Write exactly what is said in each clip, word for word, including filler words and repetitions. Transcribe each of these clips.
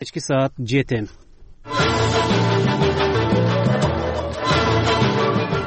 Кечки саат жети.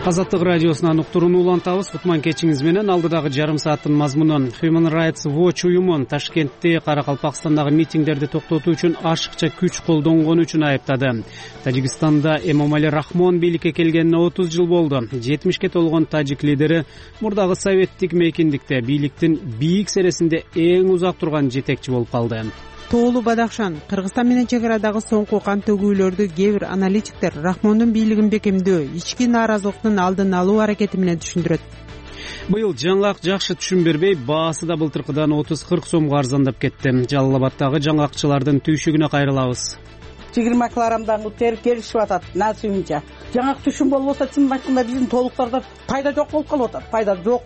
Азаттык радиосунан уктурууну улантабыз. Кутман кечиңиз менен алдыдагы жарым сааттын мазмуну. Human Rights Watch уюму Ташкентте Каракалпакстандагы митингдерди токтотуу үчүн ашыкча күч колдонгону үчүн айыптады. Тажикстанда Эмомали Рахмон бийликке келгенине отуз жыл болду. жетимишке толгон тажик лидери мурдагы советтик мейкиндикте бийликтин бийик сересинде эң узак турган жетекчи болуп калды. Тоолу Бадахшан Кыргызстан менен чек арадагы соңку кан төгүүлөрдү кээ бир аналитиктер Рахмондун бийлигин бекемдөө, ички нааразылыктын алдын алуу аракети менен түшүндүрөт. Быйыл жаңгак жакшы түшүм бербей, баасы да былтыркыдан отуз кырк сомго арзандап кетти. Жалал Абаддагы жаңгакчылардын түйшүгүнө кайрылабыз. жыйырма килограммдан көтөрүп келишип атат насыйымча. Жаңгак түшүм болбосо чын айтканда биздин толуктарда пайда жок болуп калып атат. Пайда жок.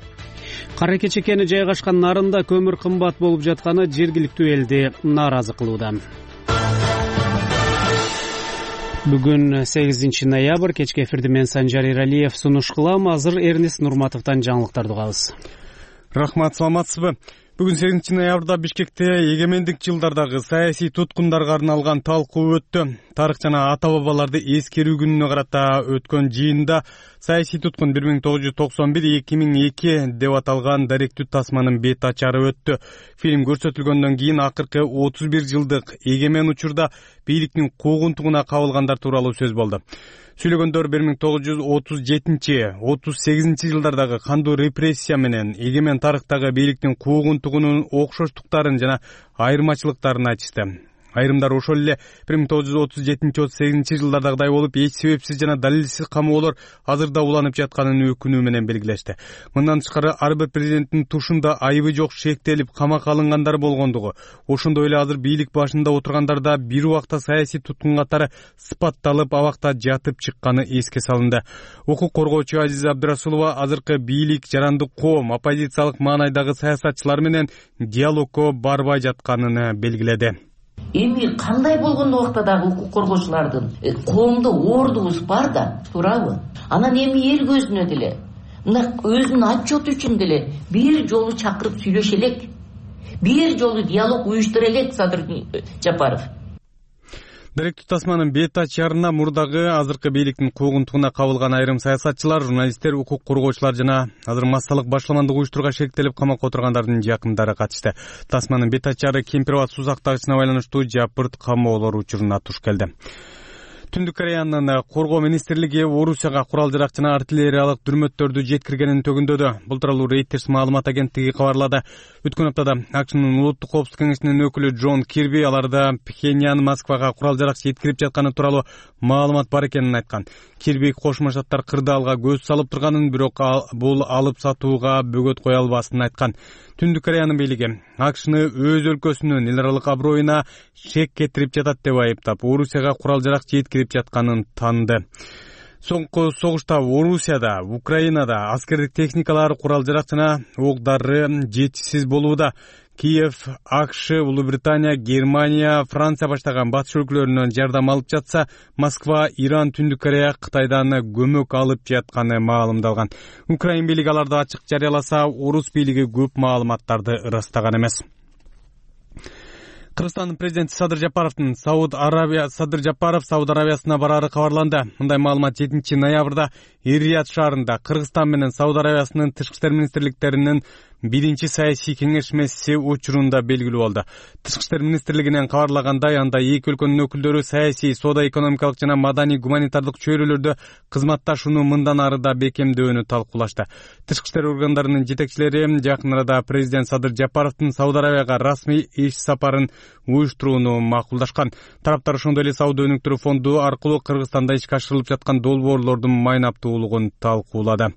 Кара Кечекени жайгашкан нарында көмүр кымбат болуп жатканы жергиликтүү элди нааразы кылууда. Бүгүн сегизинчи ноябрь, кечки эфирди мен Санжар Иралиев сунуш кылам. Азыр Эрнис Нурматовдон жаңылыктарды угабыз. Рахмат, саламатсызбы? Бүгүн сегизинчи ноябрда Бишкекте эгемендик жылдардагы саясий туткундарга арналган талкуу өттү. Тарых жана ата бабаларды эскерүү күнүнө карата өткөн жыйында саясий туткун бир миң тогуз жүз токсон бир эки миң эки деп аталган даректүү тасманын бет ачары өттү. Фильм көрсөтүлгөндөн кийин акыркы отуз бир жылдык эгемен учурда бийликтин куугунтугуна кабылгандар тууралуу сөз болду. Сүйлөгөндөр бир миң тогуз жүз отуз жетинчи отуз сегизинчи жылдардагы кандуу репрессия менен эгемен тарыхтагы бийликтин куугунтугунун окшоштуктарын жана айырмачылыктарын айтышты. Айрымдар ошол эле бир миң тогуз жүз отуз жетинчи отуз сегизинчи жылдардагыдай болуп, эч себепсиз жана далилсиз камоолор азырда уланып жатканын өкүнүү менен белгилешти. Мындан тышкары ар бир президенттин тушунда айыбы жок шектелип камакка алынгандар болгондугу, ошондой эле азыр бийлик башында отургандарда бир убакта саясий туткун катары сыпатталып, абакта жатып чыкканы эске салынды. Укук коргоочу Азиза Абдырасулова азыркы бийлик жарандык коом, оппозициялык маанайдагы саясатчылар менен диалогко барбай жатканын белгиледи. Эми кандай болгондо убакта дагы укук коргоочулардын коомдо ордубуз бар да, туурабы? Анан эми эл көзүнө деле, мына өзүнүн отчету үчүн деле бир жолу чакырып сүйлөшө элек. Бир жолу диалог уюштура элек Садыр Жапаров. Даректүү тасманын бет ачарына мурдагы азыркы бийликтин куугунтугуна кабылган айрым саясатчылар, журналисттер, укук коргоочулар жана азыр массалык башламандык уюштурууга шектелип камакка отургандардын жакындары катышты. Тасманын бет ачары Кемпир-Абад сузактагычына байланыштуу жапырт камоолор учуруна туш келди. Түндүк Кореянын коргоо министрлиги Орусияга курал-жарак жана артиллериялык дүрмөттөрдү жеткиргенин төгүндөдү. Бул тууралуу Reuters маалымат агенттиги кабарлады. Өткөн аптада АКШнын улуттук коопсуздук кеңешинин өкүлү Джон Кирби аларда Пхеньян Москвага курал-жарак жеткирип жатканы тууралуу маалымат бар экенин айткан. Кирби Кошмо Штаттар кырдаалга көз салып турганын, бирок бул алып сатууга бөгөт кое албасын айткан. Түндүк Кореянын бийлиги АКШны өз өлкөсүнүн эл аралык аброюна шек кетирип жатат деп айыптап, Орусияга курал-жарак жеткирип жатканын таанды. Соңку согушта Орусияда, Украинада аскердик техникалар, курал-жарак жана ок-дары жетишсиз болууда. Киев, АКШ, Улуу Британия, Германия, Франция баштаган батыш өлкөлөрүнөн жардам алып жатса, Москва, Иран, Түндүк Корея Кытайдан көмөк алып жатканы маалымдалган. Украин бийлиги аларды ачык жарыяласа, Орус бийлиги көп маалыматтарды ырастаган эмес. Кыргызстандын президенти Садыр Жапаровдун Сауд Арабия Садыр Жапаров Сауд Арабиясына барары кабарланды. Мындай маалымат жетинчи ноябрда Эр-Рияд шаарында Кыргызстан менен Сауд Арабиясынын тышкы иштер министрликтеринин биринчи саясий кеңешмеси учурунда белгилүү болду. Тышкы иштер министрлигинен кабарлагандай, анда эки өлкөнүн өкүлдөрү саясий, соода экономикалык жана маданий гуманитардык чөйрөлөрдө кызматташууну мындан ары да бекемдөөнү талкуулашты. Тышкы иштер органдарынын жетекчилери жакын арада президент Садыр Жапаровдун Сауд Арабияга расмий иш сапарын уюштурууну макулдашкан. Тараптар ошондой эле сауда өнүктүрүү фонду аркылуу Кыргызстанда ишке ашырылып жаткан долбоорлордун майнаптуулугун талкуулады.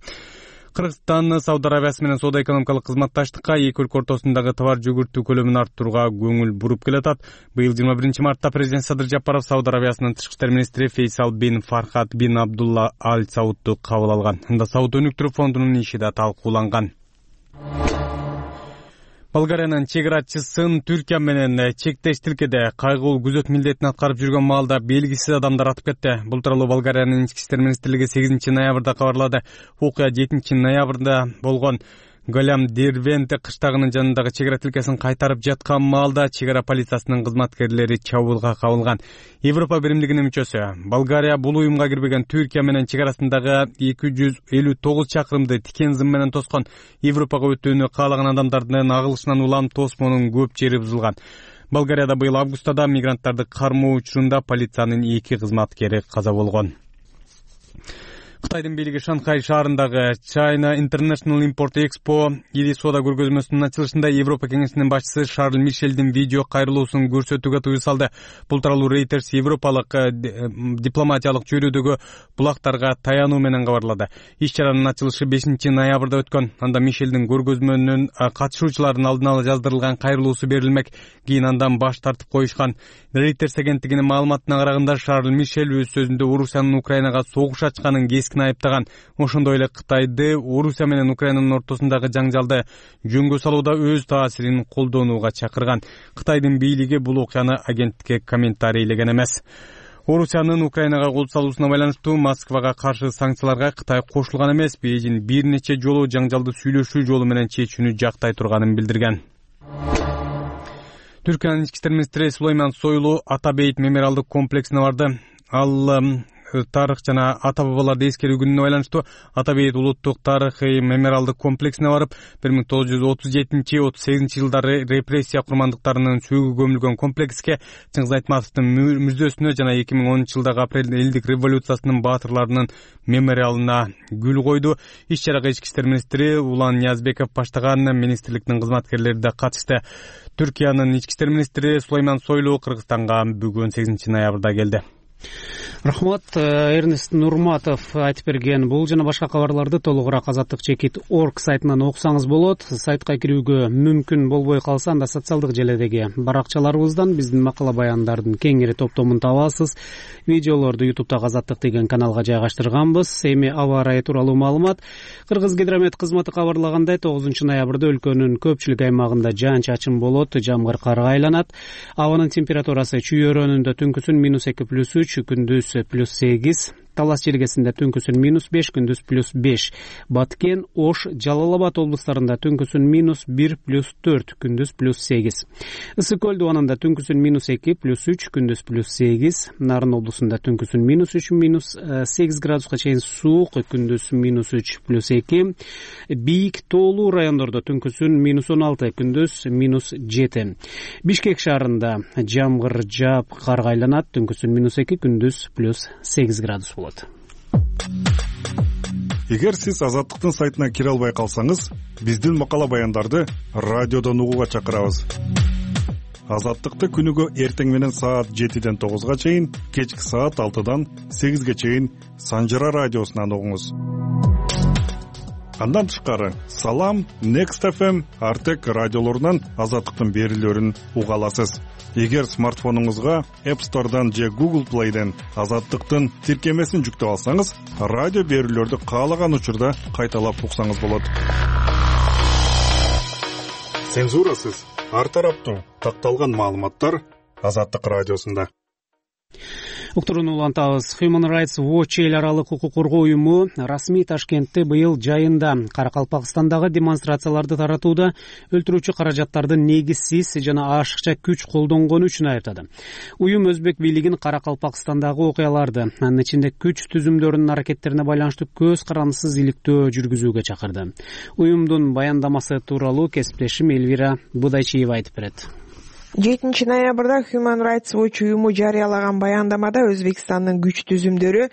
Кыргызстан Сауд Арабиясы менен соода экономикалык кызматташтыкка, эки өлкө ортосундагы товар жүгүртүү көлөмүн арттырууга көңүл буруп келатат. Быйыл жыйырма биринчи мартта президент Садыр Жапаров Сауд Арабиясынын тышкы иштер министри Фейсал бин Фархат бин Абдулла Аль Саудду кабыл алган. Анда сауда өнүктүрүү фондунун иши да талкууланган. Болгариянын чек-арачысын Түркия менен чектеш тилкеде кайгылуу күзөт милдетин аткарып жүргөн маалда белгисиз адамдар атып кетти. Бул тууралуу Болгариянын ички иштер министрлиги сегизинчи ноябрда кабарлады. Окуя жетинчи ноябрда болгон. Голям Дервенте кыштагынын жанындагы чек ара тилкесин кайтарып жаткан маалда чек ара полициясынын кызматкерлери чабуулга кабылган. Европа биримдигинин мүчөсү Болгария бул уюмга кирбеген Түркия менен чек арасындагы эки жүз элүү тогуз чакырымды тикен зым менен тоскон Европага өтүүнү каалаган адамдардын агылышынан улам тосмонун көп жери бузулган. Болгарияда быйыл августада мигранттарды кармоо учурунда полициянын эки кызматкери каза болгон. Кытайдын бийлиги Шанхай шаарындагы China International Import Expo ири соода көргөзмөсүнүн ачылышында Европа кеңешинин башчысы Шарль Мишелдин видео кайрылуусун көрсөтүүгө тыюу салды. Бул тууралуу Reuters европалык дипломатиялык чөйрөдөгү булактарга таянуу менен кабарлады. Иш-чаранын ачылышы бешинчи ноябрда өткөн. Анда Мишелдин көргөзмөнүн катышуучуларынын алдын ала жаздырылган кайрылуусу берилмек. Кийин андан баш тартып коюшкан. Reuters агенттигинин маалыматына караганда Шарль Мишель өз сөзүндө Орусиянын Украинага согуш ачканын кескин айыптаган. Ошондой эле Кытайды Орусия менен Украинанын ортосундагы жаңжалды жөнгө салууда өз таасирин колдонууга чакырган. Кытайдын бийлиги бул окуяны агенттикке комментарийлеген эмес. Орусиянын Украинага кол салуусуна байланыштуу Москвага каршы санкцияларга Кытай кошулган эмес. Бейжин бир нече жолу жаңжалды сүйлөшүү жолу менен чечүүнү жактай турганын билдирген. Түркиянын ички иштер министри Сулейман Сойлу Ата Бейит мемориалдык комплексине барды. Ал тарых жана ата бабаларды эскерүү күнүнө байланыштуу Ата Бейит улуттук тарыхый мемориалдык комплексине барып, бир миң тогуз жүз отуз жетинчи отуз сегизинчи жылдары репрессия курмандыктарынын сүйгү көмүлгөн комплекске, Чыңгыз Айтматовдун мүрзөсүнө жана эки миң онунчу жылдагы апрель элдик революциясынын баатырларынын мемориалына гүл койду. Иш-чарага ички иштер министри Улан Ниязбеков баштаган министрликтин кызматкерлери да катышты. Түркиянын ички иштер министри Сулейман Сойлу Кыргызстанга бүгүн сегизинчи ноябрда келди. Рахмат. Эрнест Нурматов айтып берген бул жана башка кабарларды толугураак азаттык чекит точка орг сайтынан окусаңыз болот. Сайтка кирүүгө мүмкүн болбой калса, анда социалдык желедеги баракчаларыбыздан биздин макала баяндардын кеңири топтомун табасыз. Видеолорду ютубтагы азаттык деген каналга жайгаштырганбыз. Эми аба ырайы тууралуу маалымат. Кыргыз гидромет кызматы кабарлагандай, тогузунчу ноябрда өлкөнүн көпчүлүк аймагында жаан-чачын болот, жамгыр карга айланат. Абанын температурасы Чүй өрөөнүндө түнкүсүн минус эки плюс үч, күндүз плюс сегиз, Талас желгесинде түнкүсүн минус беш, күндүз плюс беш. Баткен, Ош, Жалал Абад облустарында түнкүсүн минус бир плюс төрт, күндүз плюс сегиз. Ысык көл дубанында түнкүсүн минус эки плюс үч, күндүз плюс сегиз. Нарын облусунда түнкүсүн минус үч, минус сегиз градуска чейин суук, күндүз минус үч плюс эки. Бийик тоолуу райондордо түнкүсүн минус он алты, күндүз минус жети. Бишкек шаарында жамгыр жаап карга айланат, түнкүсүн минус эки, күндүз плюс сегиз градус болот. Эгер сиз Азаттыктын сайтына кире албай калсаңыз, биздин макала баяндарды радиодон угууга чакырабыз. Азаттыкты күнүгө эртең менен саат жетиден тогузга чейин, кечки саат алтыдан сегизге чейин Санжара радиосунан угуңуз. Андан тышкары Салам, Next эф эм, Артек радиолорунан Азаттыктын берүүлөрүн уга аласыз. Эгер смартфонуңузга App Store'дан же Google Play'ден Азаттыктын тиркемесин жүктөп алсаңыз, радио берүүлөрдү каалаган учурда кайталап уксаңыз болот. Цензурасыз, ар тараптуу такталган маалыматтар Азаттык радиосунда. Уктурууну улантабыз. Human Rights Watch эл аралык укук коргоо уюму расмий Ташкентте быйыл жайында Каракалпакстандагы демонстрацияларды таратууда өлтүрүүчү каражаттарды негизсиз жана ашыкча күч колдонгону үчүн айыптады. Уюм өзбек бийлигин Каракалпакстандагы окуяларды, анын ичинде күч түзүмдөрүнүн аракеттерине байланыштуу көз карандысыз иликтөө жүргүзүүгө чакырды. Уюмдун баяндамасы тууралуу кесиптешим Элвира Будайчиева айтып берет. жетинчи ноябрда Human Rights Watch уюму жарыялаган баяндамада Өзбекстандын күч түзүмдөрү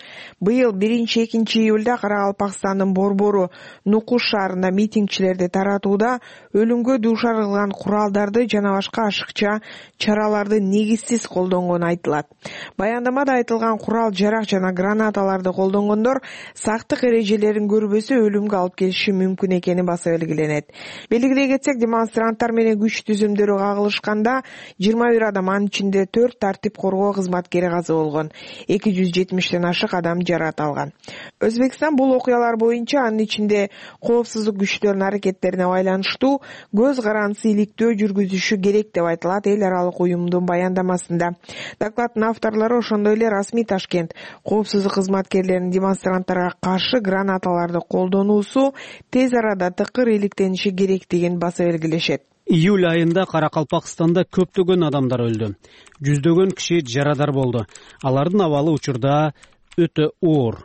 быйыл биринчи экинчи июлда Каракалпакстандын Борбору Нукуш шаарында митингчилерди таратууда өлүмгө дуушар кылган куралдарды жана башка ашыкча чараларды негизсиз колдонгону айтылат. Баяндамада айтылган курал жарак жана гранаталарды колдонгондор сактык эрежелерин көрбөсө өлүмгө алып келиши мүмкүн экени баса белгиленет. Белгилей кетсек, демонстранттар менен күч түзүмдөрү кагылышканда жыйырма бир адам, анын ичинде төрт тартип коргоо кызматкери каза болгон, эки жүз жетимиштен ашык адам жаракат алган. Өзбекстан бул окуялар боюнча, анын ичинде коопсуздук күчтөрүнүн аракеттерине байланыштуу көз карандысы иликтөө жүргүзүшү керек деп айтылат эл аралык уюмдун баяндамасында. Докладдын авторлору ошондой эле расмий Ташкент коопсуздук кызматкерлеринин демонстранттарга каршы гранаталарды колдонуусу тез арада тыкыр иликтениши керектигин баса белгилешет. Июль айында Каракалпакстанда көптөгөн адамдар өлдү. Жүздөгөн киши жарадар болду. Алардын абалы учурда өтө оор,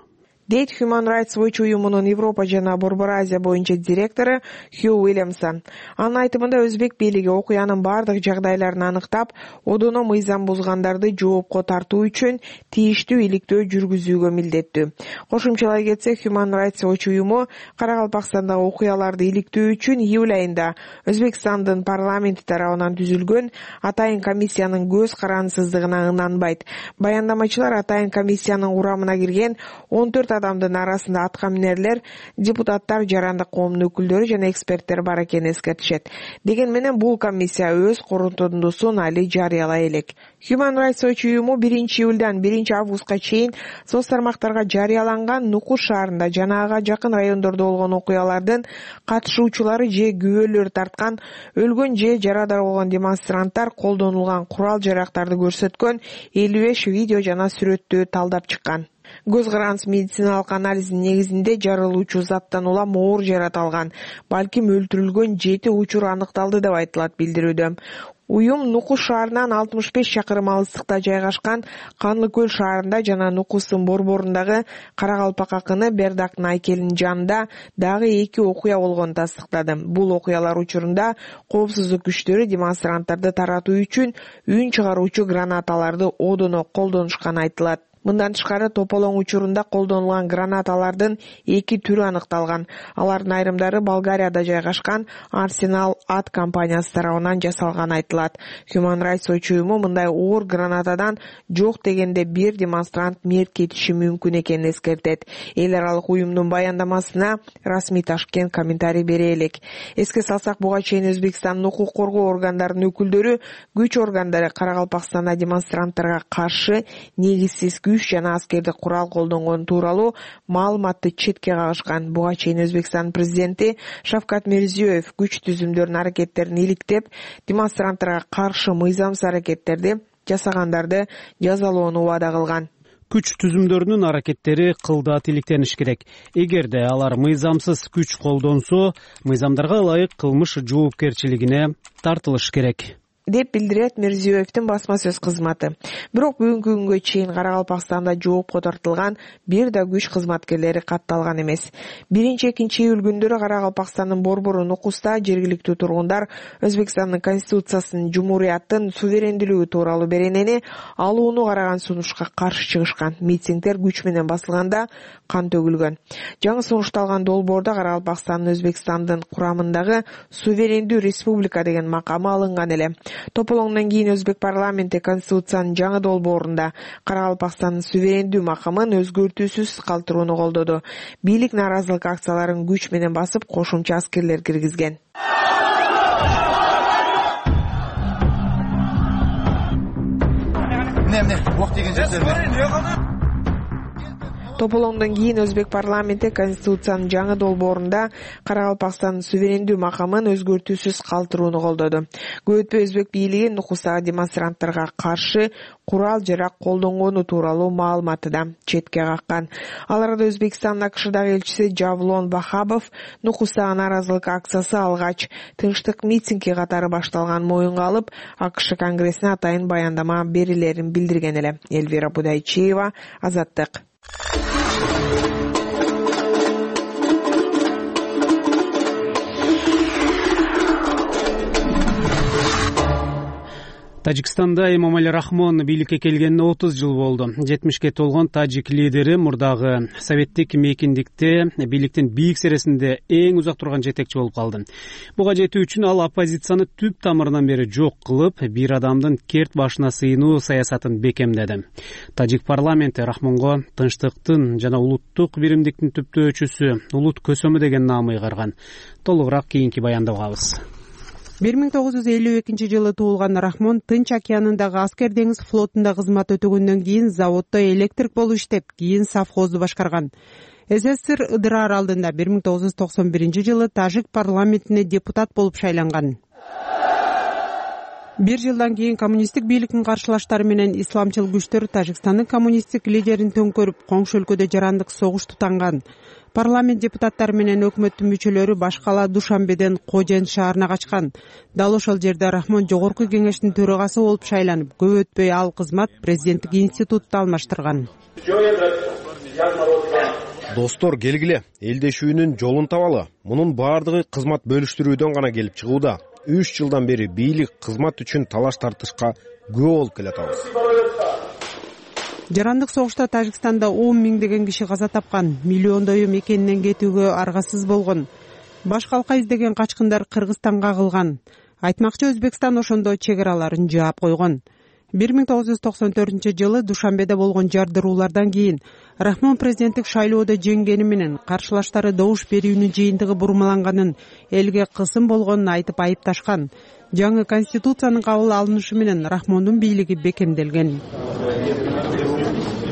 дейт Human Rights Watch уюмунун Европа жана Борбор Азия боюнча директору Хью Уильямсон. Анын айтымында өзбек бийлиги окуянын бардык жагдайларын аныктап, одоно мыйзам бузгандарды жоопко тартуу үчүн тийиштүү иликтөө жүргүзүүгө милдеттүү. Кошумчалай кетсек, Human Rights Watch уюму Каракалпакстандагы окуяларды иликтөө үчүн июль айында Өзбекстандын парламенти тарабынан түзүлгөн атайын комиссиянын көз карандысыздыгына ынанбайт. Баяндамачылар атайын комиссиянын курамына кирген он төрт адамдын арасында аткаминерлер, депутаттар, жарандык коомдун өкүлдөрү жана эксперттер бар экенин эскертишет. Деген менен бул комиссия өз корутундусун али жарыялай элек. Human Rights Watch уюму биринчи июлдан биринчи августка чейин соц тармактарга жарыяланган Нукуш шаарында жана ага жакын райондордо болгон окуялардын катышуучулары же күбөлөрү тарткан, өлгөн же жарадар болгон демонстранттар колдонулган курал-жарактарды көрсөткөн элүү беш видео жана сүрөттү талдап чыккан. Көз карандысы медициналык анализдин негизинде жарылуучу заттан улам оор жарат алган, балким өлтүрүлгөн жети учур аныкталды деп айтылат билдирүүдө. Уюм Нукуш шаарынан алтымыш беш чакырым алыстыкта жайгашкан Канлы көл шаарында жана Нукустун борборундагы Каракалпак акыны Бердактын айкелинин жанында дагы эки окуя болгонун тастыктады. Бул окуялар учурунда коопсуздук күчтөрү демонстранттарды таратуу үчүн үн чыгаруучу гранаталарды одоно колдонушканы айтылат. Мындан тышкары тополоң учурунда колдонулган гранаталардын эки түрү аныкталган. Алардын айрымдары Болгарияда жайгашкан Арсенал ат компаниясы тарабынан жасалган айтылат. Human Rights Watch уюму мындай оор гранатадан жок дегенде бир демонстрант мерт кетиши мүмкүн экенин эскертет. Эл аралык уюмдун баяндамасына расмий Ташкент комментарий бере элек. Эске салсак, буга чейин Өзбекстандын укук коргоо органдарынын өкүлдөрү күч органдары Каракалпакстанда демонстранттарга каршы негизсиз күч жана аскердик курал колдонгон тууралуу маалыматты четке кагышкан. Буга чейин Өзбекстан президенти Шавкат Мирзиёев күч түзүмдөрүнүн аракеттерин иликтеп, демонстранттарга каршы мыйзамсыз аракеттерди жасагандарды жазалоону убада кылган. Күч түзүмдөрүнүн аракеттери кылдат иликтениш керек. Эгерде алар мыйзамсыз күч колдонсо, мыйзамдарга ылайык кылмыш жоопкерчилигине тартылыш керек, деп билдирет Мирзиёевдин басма сөз кызматы. Бирок бүгүнкү күнгө чейин Каракалпакстанда жоопко тартылган бир да күч кызматкерлери катталган эмес. биринчи экинчи июль күндөрү Каракалпакстандын борбору Нукуста жергиликтүү тургундар Өзбекстандын конституциясынын жумурияттын суверендүүлүгү тууралуу беренени алууну караган сунушка каршы чыгышкан. Митингдер күч менен басылганда кан төгүлгөн. Жаңы сунушталган долбоордо Каракалпакстандын Өзбекстандын курамындагы суверендүү республика деген макамы алынган эле. Тополоңдон кийин Өзбек парламенти конституциянын жаңы долбоорунда Каракалпакстандын суверендүү макамын өзгөртүүсүз калтырууну колдоду. Бийлик нааразылык акцияларын күч менен басып, кошумча аскерлер киргизген. Тополоңдон кийин Өзбек парламенти конституциянын жаңы долбоорунда Каракалпакстандын суверендүү макамын өзгөртүүсүз калтырууну колдоду. Көп өтпөй Өзбек бийлиги Нукустагы демонстранттарга каршы курал-жарак колдонгону тууралуу маалыматты да четке каккан. Ал арада Өзбекстандын АКШдагы элчиси Жавлон Бахабов Нукустагы нааразылык акциясы алгач тынчтык митинги катары башталган моюнга алып, АКШ конгрессине атайын баяндама берилерин билдирген эле. Эльвира Будайчиева, Азаттык. Тажикстанда Эмомали Рахмон бийликке келгенине отуз жыл болду. жетимишке толгон тажик лидери мурдагы советтик мейкиндикте бийликтин бийик сересинде эң узак турган жетекчи болуп калды. Буга жетүү үчүн ал оппозицияны түп тамырынан бери жок кылып, бир адамдын керт башына сыйынуу саясатын бекемдеди. Тажик парламенти Рахмонго тынчтыктын жана улуттук биримдиктин түптөөчүсү, улут көсөмү деген наам ыйгарган. Толугураак кийинки баянда угабыз. бир миң тогуз жүз элүү экинчи жылы туулган Рахмон Тынч океанындагы аскер деңиз флотунда кызмат өтөгөндөн кийин заводдо электрик болуп иштеп, кийин совхозду башкарган. СССР Ыдыр аралдында бир миң тогуз жүз токсон биринчи жылы тажик парламентине депутат болуп шайланган. Бир жылдан кийин коммунисттик бийликтин каршылаштары менен исламчыл күчтөр Тажикстандын коммунисттик лидерин төңкөрүп, коңшу өлкөдө жарандык согуш тутанган. Парламент депутаттары менен өкмөттүн мүчөлөрү баш кала Душанбеден Кожен шаарына качкан. Дал ошол жерде Рахмон жогорку кеңештин төрагасы болуп шайланып, көп өтпөй ал кызмат президенттик институтта алмаштырган. Достор, келгиле, элдешүүнүн жолун табалы. Мунун баардыгы кызмат бөлүштүрүүдөн гана келип чыгууда. үч жылдан бери бийлик кызмат үчүн талаш тартышка күбө болуп келатабыз. Жарандык согушта Тажикстанда он миңдеген киши каза тапкан, миллиондою мекенинен кетүүгө аргасыз болгон. Баш калка издеген качкындар Кыргызстанга кагылган. Айтмакчы, Өзбекстан ошондо чек араларын жаап койгон. бир миң тогуз жүз токсон төртүнчү жылы Душанбеде болгон жардыруулардан кийин Рахмон президенттик шайлоодо жеңгени менен каршылаштары добуш берүүнүн жыйынтыгы бурмаланганын, элге кысым болгонун айтып айыпташкан. Жаңы конституциянын кабыл алынышы менен Рахмондун бийлиги бекемделген.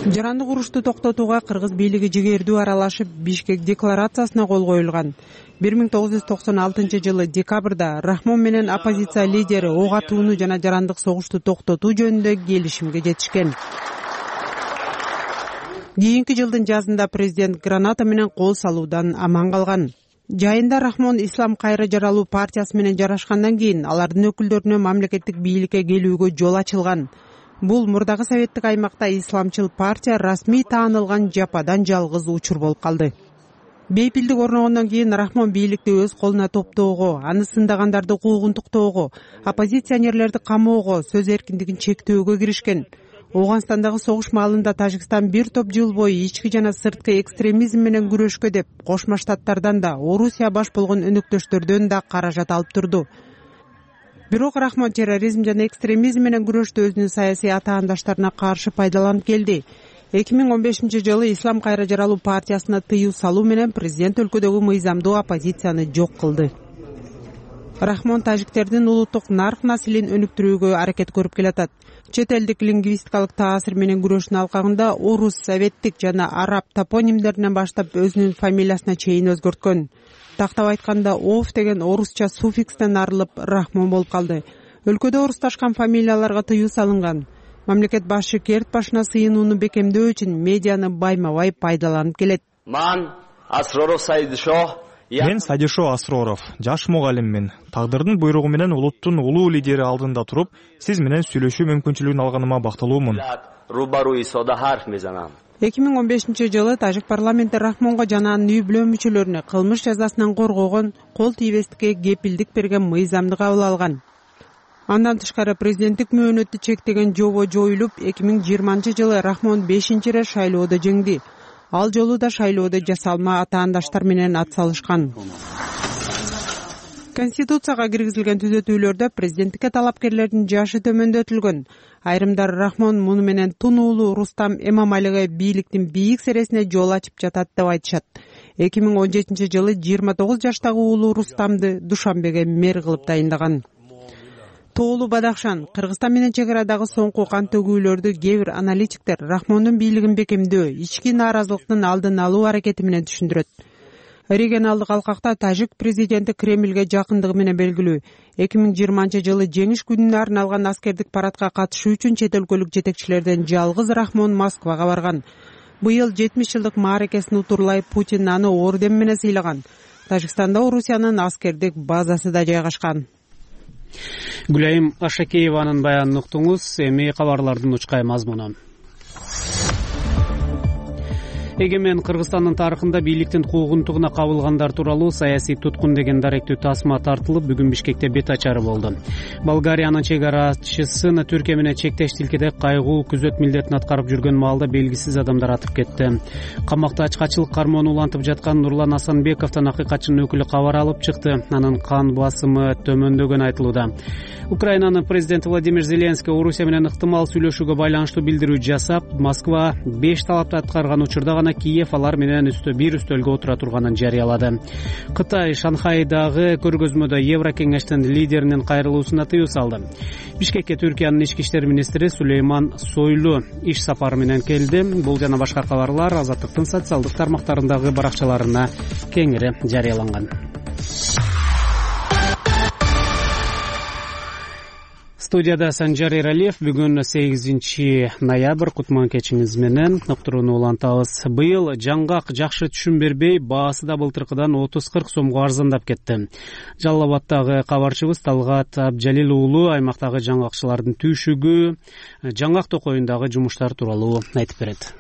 Жарандык урушту токтотууга кыргыз бийлиги жигердүү аралашып, Бишкек декларациясына кол коюлган. бир миң тогуз жүз токсон алтынчы жылы декабрда Рахмон менен оппозиция лидери ок атууну жана жарандык согушту токтотуу жөнүндө келишимге жетишкен. Кийинки жылдын жазында президент граната менен кол салуудан аман калган. Жайында Рахмон Ислам кайра жаралуу партиясы менен жарашкандан кийин алардын өкүлдөрүнө мамлекеттик бийликке келүүгө жол ачылган. Бул мурдагы советтик аймакта исламчыл партия расмий таанылган жападан жалгыз учур болуп калды. Бейпилдик орногондон кийин Рахмон бийликти өз колуна топтоого, аны сындагандарды куугунтуктоого, оппозиционерлерди камоого, сөз эркиндигин чектөөгө киришкен. Ооганстандагы согуш маалында Тажикстан бир топ жыл бою ички жана сырткы экстремизм менен күрөшкө деп Кошмо Штаттардан да, Орусия баш болгон өнөктөштөрдөн да каражат алып турду. Бирок Рахмон терроризм жана экстремизм менен күрөштө өзүнүн саясий атаандаштарына каршы пайдаланып келди. эки миң он бешинчи жылы Ислам кайра жаралуу партиясына тыюу салуу менен президент өлкөдөгү мыйзамдуу оппозицияны жок кылды. Рахмон тажиктердин улуттук нарк наслин өнүктүрүүгө аракет көрүп келатат. Чет элдик лингвистикалык таасир менен күрөштүн алкагында орус, советтик жана араб топонимдеринен баштап өзүнүн фамилиясына чейин өзгөрткөн. Тактап айтканда, ов деген орусча суффикстен арылып Рахмон болуп калды. Өлкөдө орусташкан фамилияларга тыюу салынган. Мамлекет башы керт башына сыйынууну бекемдөө үчүн медианы байма-бай пайдаланып келет. Ман Асроров Сайдишо. Мен Сайдишо Асроров, жаш мугалиммин. Тагдырдын буйругу менен улуттун улуу лидери алдында туруп, сиз менен сүйлөшүү мүмкүнчүлүгүн алганыма бактылуумун. эки миң он бешинчи жылы Тажик парламенти Рахмонго жана анын үй бүлө мүчөлөрүнө кылмыш жазасынан коргогон, кол тийбестикке кепилдик берген мыйзамды кабыл алган. Андан тышкары президенттик мөөнөттү чектеген жобо жоюлуп, эки миң жыйырманчы жылы Рахмон бешинчи ирет шайлоодо жеңди. Ал жолу да шайлоодо жасалма атаандаштар менен ат салышкан. Конституцияга киргизилген түзөтүүлөрдө президенттикке талапкерлердин жашы төмөндөтүлгөн. Айрымдар Рахмон муну менен Тунуулу Рустам Эмомалиге бийликтин бийик сересине жол ачып жатат деп айтышат. эки миң он жетинчи жылы жыйырма тогуз жаштагы уулу Рустамды Душанбеге мэр кылып дайындаган. Тоолу Бадахшан, Кыргызстан менен чек арадагы соңку кан төгүүлөрдү кээ бир аналитиктер Рахмондун бийлигин бекемдөө, ички нааразылыктын алдын алуу аракети менен түшүндүрөт. Регионалдык алкакта тажик президенти Кремлге жакындыгы менен белгилүү. эки миң жыйырманчы жылы жеңиш күнүнө арналган аскердик парадка катышуу үчүн чет өлкөлүк жетекчилерден жалгыз Рахмон Москвага барган. Быйыл жетимиш жылдык мааракесин утурлай Путин аны орден менен сыйлаган. Тажикстанда Орусиянын аскердик базасы да жайгашкан. Гүлайым Ашакееванын баянын уктуңуз. Эми кабарлардын учкай мазмуну. Эгемен Кыргызстандын тарыхында бийликтин куугунтугуна кабылгандар тууралуу саясий туткун деген даректүү тасма тартылып, бүгүн Бишкекте бет ачары болду. Болгариянын чек арачысын Түркия менен чектеш тилкеде кайгуу күзөт милдетин аткарып жүргөн маалда белгисиз адамдар атып кетти. Камакта ачкачылык кармоону улантып жаткан Нурлан Асанбековдон акыйкатчынын өкүлү кабар алып чыкты. Анын кан басымы төмөндөгөн айтылууда. Украинанын президенти Владимир Зеленский Орусия менен ыктымал сүйлөшүүгө байланыштуу билдирүү жасап, Москва беш талапты аткарган учурда гана жана Киев алар менен үстө бир үстөлгө отура турганын жарыялады. Кытай Шанхайдагы көргөзмөдө Еврокеңештин лидеринин кайрылуусуна тыюу салды. Бишкекке Түркиянын ички иштер министри Сулейман Сойлу иш сапары менен келди. Бул жана башка кабарлар Азаттыктын социалдык тармактарындагы баракчаларына кеңири жарыяланган. Студияда Санжар Эралиев. Бүгүн сегизинчи ноябрь. Кутман кечиңиз менен уктурууну улантабыз. Быйыл жаңгак жакшы түшүм бербей, баасы да былтыркыдан отуз кырк сомго арзандап кетти. Жалал Абадтагы кабарчыбыз Талгат Абджалил уулу аймактагы жаңгакчылардын түйшүгү, жаңгак токоюндагы жумуштар тууралуу айтып берет.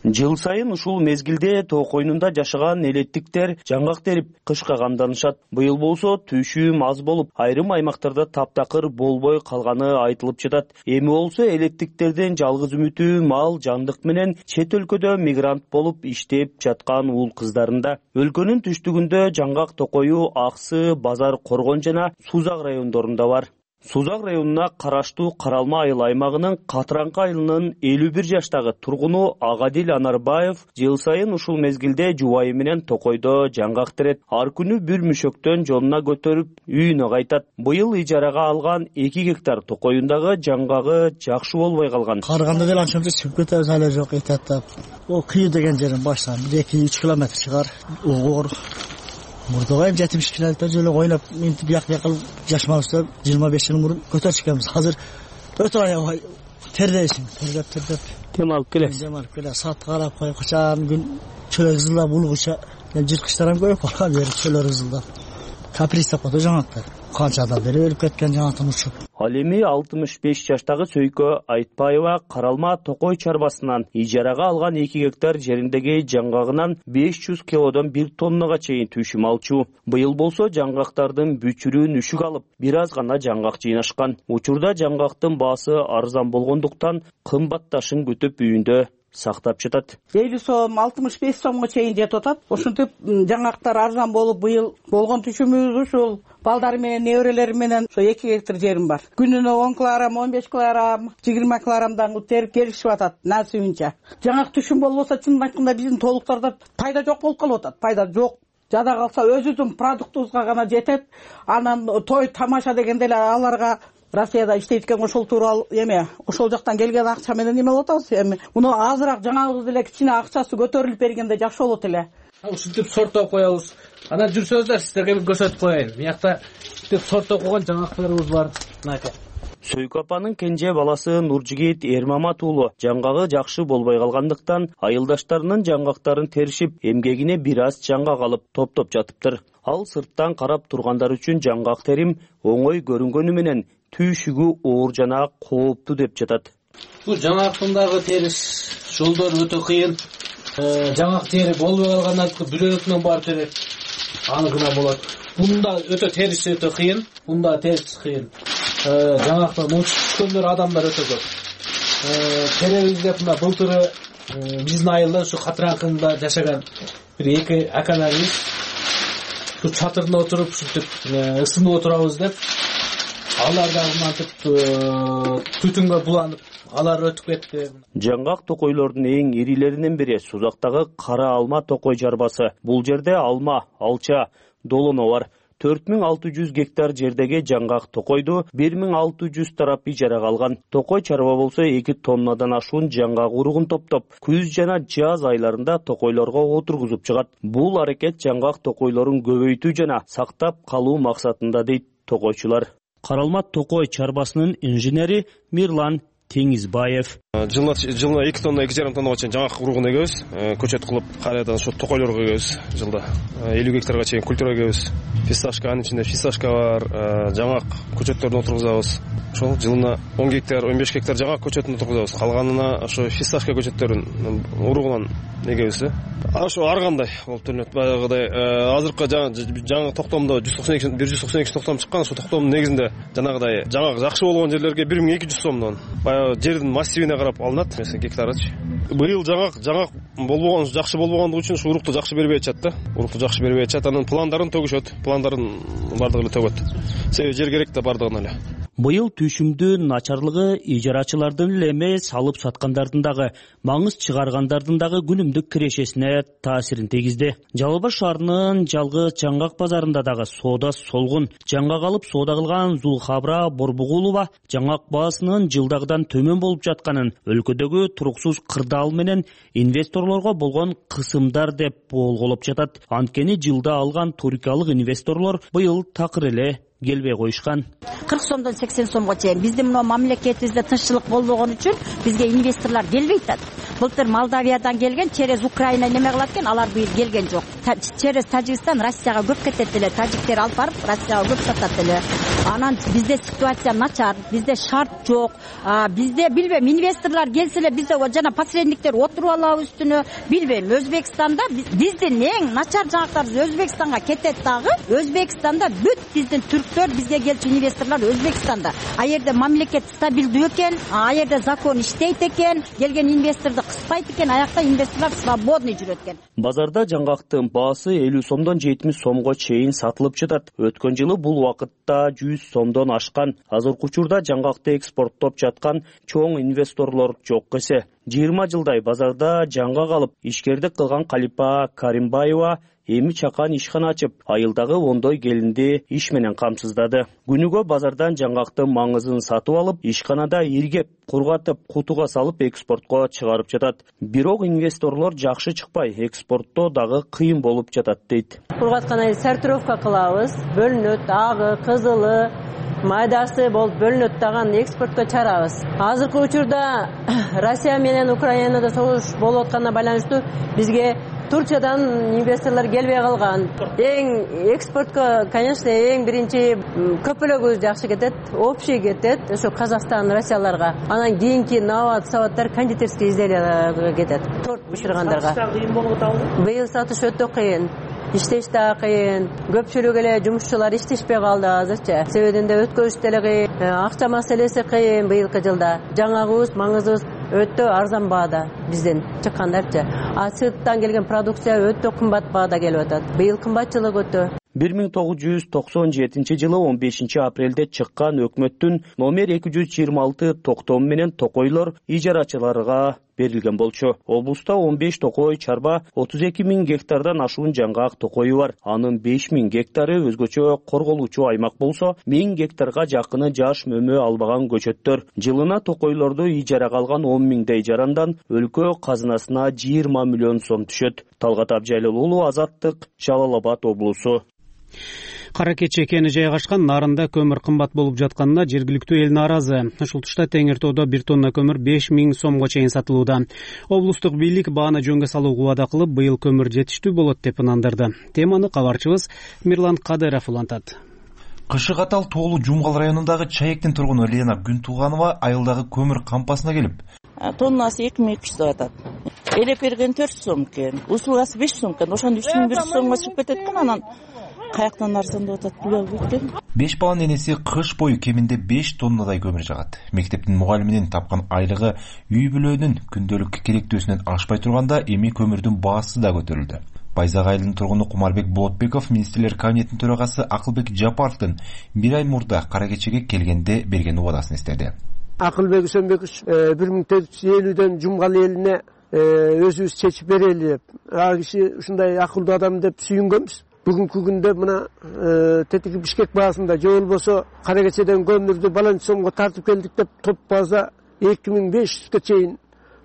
Жыл сайын ушул мезгилде тоо койнунда жашаган элеттиктер жаңгак терип кышка камданышат. Быйыл болсо түйшүүм аз болуп, айрым аймактарда таптакыр болбой калганы айтылып жатат. Эми болсо элеттиктердин жалгыз үмүтү мал, жандык менен чет өлкөдө мигрант болуп иштеп жаткан уул кыздарында. Өлкөнүн түштүгүндө жаңгак токою Аксы, Базар, Коргон жана Сузак райондорунда бар. Сузак районуна караштуу Каралма айыл аймагынын Катыраңкы айылынын элүү бир жаштагы тургуну Агадил Анарбаев жыл сайын ушул мезгилде жубайы менен токойдо жаңгак терет. Ар күнү бир мүшөктөн жонуна көтөрүп үйүнө кайтат. Быйыл ижарага алган эки гектар токоюндагы жаңгагы жакшы болбой калган. Карыганда деле анча чыгып кетебиз, эле жок этаттап. О күйүү деген жерин баштан бир эки үч километр чыгар. Угор Мурдага эми жетимиш километр жолу ойлоп, мынтип бияк бияк кылып жашмабызда жыйырма беш жыл мурун көтөрүп чыкканбыз. Азыр өтө аябай тердейсиң, тердеп тердеп. Дем алып келесиз. Дем алып келе, саат карап коюп, качан күн чөлөк ызылдап булгуча, жырткычтар ham көбөйүп калган бери чөлөк ызылдап. Каприз тапты жаңактар. Канча адам бери өлүп кеткен жаңактын учуп. Ал эми алтымыш беш жаштагы Сөйкө Айтпаева Каралма Токой чарбасынан ижарага алган эки гектар жериндеги жаңгагынан беш жүз килодон бир тоннага чейин түйшүм алчу. Быйыл болсо жаңгактардын бүчүрүн үшүк алып, бир аз гана жаңгак жыйнашкан. Учурда жаңгактын баасы арзан болгондуктан кымбатташын күтүп үйүндө сактап жатат. элүү сом, алтымыш беш сомго чейин жетип атат. Ошентип жаңгактар арзан болуп, быйыл болгон түшүмүбүз ушул. Балдары менен, неберелери менен ошо эки гектар жерим бар. Күнүнө он килограмм, он беш килограмм, жыйырма килограммдан терип келишип атат насыбынча. Жаңак түшүм болбосо чын айтканда биздин толуктарда пайда жок болуп калып атат. Пайда жок. Жада калса өзүбүздүн продуктубузга гана жетет. Анан той тамаша дегенде эле аларга Россияда иштейт экен, ошол тууралуу эме, ошол жактан келген акча менен эме болуп атабыз. Эми муну азыраак жаңагыбыз деле кичине акчасы көтөрүлүп бергенде жакшы болот эле. Ушинтип сорттоп коебуз. Анан жүрсөңүздөр, сиздерге бир көрсөтүп коеюн. Биякта ушинтип сорттоп койгон жаңактарыбыз бар. Мынакей. Сөйкө апанын кенже баласы Нуржигит Эрмамат уулу жаңгагы жакшы болбой калгандыктан айылдаштарынын жаңгактарын теришип, эмгегине бир аз жаңгак алып топтоп жатыптыр. Ал сырттан карап тургандар үчүн жаңгак терим оңой көрүнгөнү менен түйшүгү оор жана кооптуу деп жатат. Бул жаңгактын дагы териш жолдору өтө кыйын. Жаңгак тери болбой калгандан кийин бүлөкүнөн барып терет. Аныкына болот. Бунда өтө териш өтө кыйын. Бунда териш кыйын. Жаңактан түшкөндөр адамдар өтө көп. Теребизде мына былтыры биздин айылда ушу Катыраңкында жашаган бир эки акаларыбыз ушу чатырына отуруп ушинтип ысынып отурабыз деп, алар дагы мынтип түтүнгө буланып, алар өтүп кетти. Жаңгак токойлордун эң ирилеринен бири Сузактагы Кара Алма токой чарбасы. Бул жерде алма, алча, долоно бар. төрт миң алты жүз гектар жердеги жаңгак токойду бир миң алты жүз тарап ижарага алган. Токой чарба болсо эки тоннадан ашуун жаңгак уругун топтоп, күз жана жаз айларында токойлорго отургузуп чыгат. Бул аракет жаңгак токойлорун көбөйтүү жана сактап калуу максатында дейт токойчулар. Каралма токой чарбасынын инженери Мирлан Теңизбаев. Жылына жылына эки тонна, эки жарым тоннага чейин жаңгак уругун эгебиз. Көчөт кылып, кайрадан ошо токойлорго эгебиз. Жылда элүү гектарга чейин культура эгебиз. Фисташка, анын ичинде фисташка бар, жаңгак көчөттөрүн отургузабыз. Ошол жылына он гектар, он беш гектар жаңгак көчөтүн отургузабыз. Калганына ошо фисташка көчөттөрүн уругунан эгебиз. Ошо ар кандай болуп көрүнөт. Баягыдай азыркы жаңы токтомдо жүз токсон эки бир жүз токсон эки токтом чыккан. Ошо токтомдун негизинде жанагыдай жаңгак жакшы болгон жерлерге бир миң эки жүз сомдон баягы жердин массивине карап алынат, mesela гектарычы. Быйыл жаңгак жаңгак болбогон, жакшы болбогондугу үчүн ушу урукту жакшы бербей атышат да. Урукту жакшы бербей атышат, анын пландарын төгүшөт, пландарын бардыгы эле төгөт. Себеби жер керек да бардыгына эле. Быйыл түшүмдүн начарлыгы ижарачылардын эле эмес, алып саткандардын дагы, маңыз чыгаргандардын дагы күнүмдүк кирешесине таасирин тийгизди. Жалал Абад шаарынын жалгыз жаңгак базарында дагы соода солгун. Жаңгак алып соода кылган Зулхабра Борбугулова жаңгак баасынын жылдагыдан төмөн болуп жатканын, өлкөдөгү туруксуз кырдаал менен инвесторлорго болгон кысымдар деп болголоп жатат. Анткени жылда алган туркиялык инвесторлор быйыл такыр эле келбей коюшкан. кырк сомдон сексен сомго чейин биздин мына мамлекетибизде тынччылык болбогон үчүн бизге инвесторлор келбей атат. Былтыр Молдавиядан келген, через Украина неме кылат экен, алар быйыл келген жок. Через Тажикстан Россияга көп кетет эле, тажиктер алып барып Россияга көп сатат эле. Анан бизде ситуация начар, бизде шарт жок. Бизде билбейм, инвесторлор келсе эле бизде жана посредниктер отуруп алабы үстүнө, билбейм. Өзбекстанда биздин эң начар жаңактарыбыз Өзбекстанга кетет дагы. Өзбекстанда бүт биздин түрктөр, бизге келчү инвесторлор Өзбекстанда. А жерде мамлекет стабилдүү экен, а жерде закон иштейт экен, келген инвесторду кыспайт экен, аякта инвесторлор свободный жүрөт экен. Базарда жаңгактын баасы элүү сомдон жетимиш сомго чейин сатылып жатат. Өткөн жылы бул убакытта жүз сомдон ашкан. Азыркы учурда жаңгакты экспорттоп жаткан чоң инвесторлор жок эсе. жыйырма жылдай базарда жаңгак алып ишкердик кылган Калипа Каримбаева эми чакан ишкана ачып, айылдагы ондой келинди иш менен камсыздады. Күнүгө базардан жаңгактын маңызын сатып алып, ишканада иргеп, кургатып, кутуга салып экспортко чыгарып жатат. Бирок инвесторлор жакшы чыкпай, экспортто дагы кыйын болуп жатат дейт. Кургаткандан сортировка кылабыз, бөлүнөт, агы, кызылы, майдасы болуп бөлүнөт дагы экспортко чыгарабыз. Азыркы учурда Россия менен Украинада согуш болуп атканына байланыштуу бизге Турциядан инвесторлор келбей калган. Эң экспортко, конечно, эң биринчи көпөлөгү жакшы кетет, общий кетет, ошо Казакстан, Россияларга. Анан кийинки нават, саваттар, кондитерский изделияларга кетет. Торт бышыргандарга. Быйыл сатыш өтө кыйын. Иштеш да кыйын. Көпчүлүк эле жумушчулар иштешпей калды азырча. Себебинде өткөрүш деле кыйын, акча маселеси кыйын быйылкы жылда. Жаңагыбыз, маңызыбыз өтө арзан баада бизден чыккандарчы. А сырттан келген продукция өтө кымбат баада келип атат. Быйыл кымбатчылык өтө. бир миң тогуз жүз токсон жетинчи жылы он бешинчи апрелде чыккан өкмөттүн номер эки жүз жыйырма алты токтому менен токойлор ижарачыларга берилген болчу. Облуста он беш токой чарба, отуз эки миң гектардан ашуун жаңгак токою бар. Анын беш миң гектары өзгөчө корголуучу аймак болсо, миң гектарга жакыны жаш мөмө албаган көчөттөр. Жылына токойлорду ижарага алган он миңдей жарандан өлкө казынасына жыйырма миллион сом түшөт. Талгат Абжайлыл уулу, Азаттык, Жалал Абад облусу. Кара Кече кени жайгашкан Нарында көмүр кымбат болуп жатканына жергиликтүү эл нааразы. Ушул тушта Теңир тоодо бир тонна көмүр беш миң сомго чейин сатылууда. Облустук бийлик бааны жөнгө салууга убада кылып, быйыл көмүр жетиштүү болот деп ынандырды. Теманы кабарчыбыз Мирлан Кадыров улантат. Кышы катал Тоолу Жумгал районундагы Чаектин тургуну Лена Күнтуганова айылдагы көмүр кампасына келип, тоннасы эки миң эки жүз деп атат. Элеп берген төрт сом экен, услугасы беш сом экен. Ошондо үч миң бир жүз сомго чыгып кетет экен, анан каяктан арзан деп атат билбейм. Беш баланын энеси кыш бою кеминде беш тоннадай көмүр жагат. Мектептин мугалиминин тапкан айлыгы үй бүлөнүн күндөлүк керектөөсүнөн ашпай турганда эми көмүрдүн баасы да көтөрүлдү. Байзак айылынын тургуну Кумарбек Болотбеков министрлер кабинетинин төрагасы Акылбек Жапаровдун бир ай мурда Кара Кечеге келгенде берген убадасын эстеди. Акылбек Үсөнбекович бир миң төрт жүз элүүдөн Жумгал элине өзүбүз чечип берели деп, а киши ушундай акылдуу адам деп сүйүнгөнбүз. Бүгүнкү күндө мына тетиги Бишкек баасында же болбосо Кара Кечеден көмүрдү баланчы сомго тартып келдик деп топ база эки миң беш жүзгө чейин,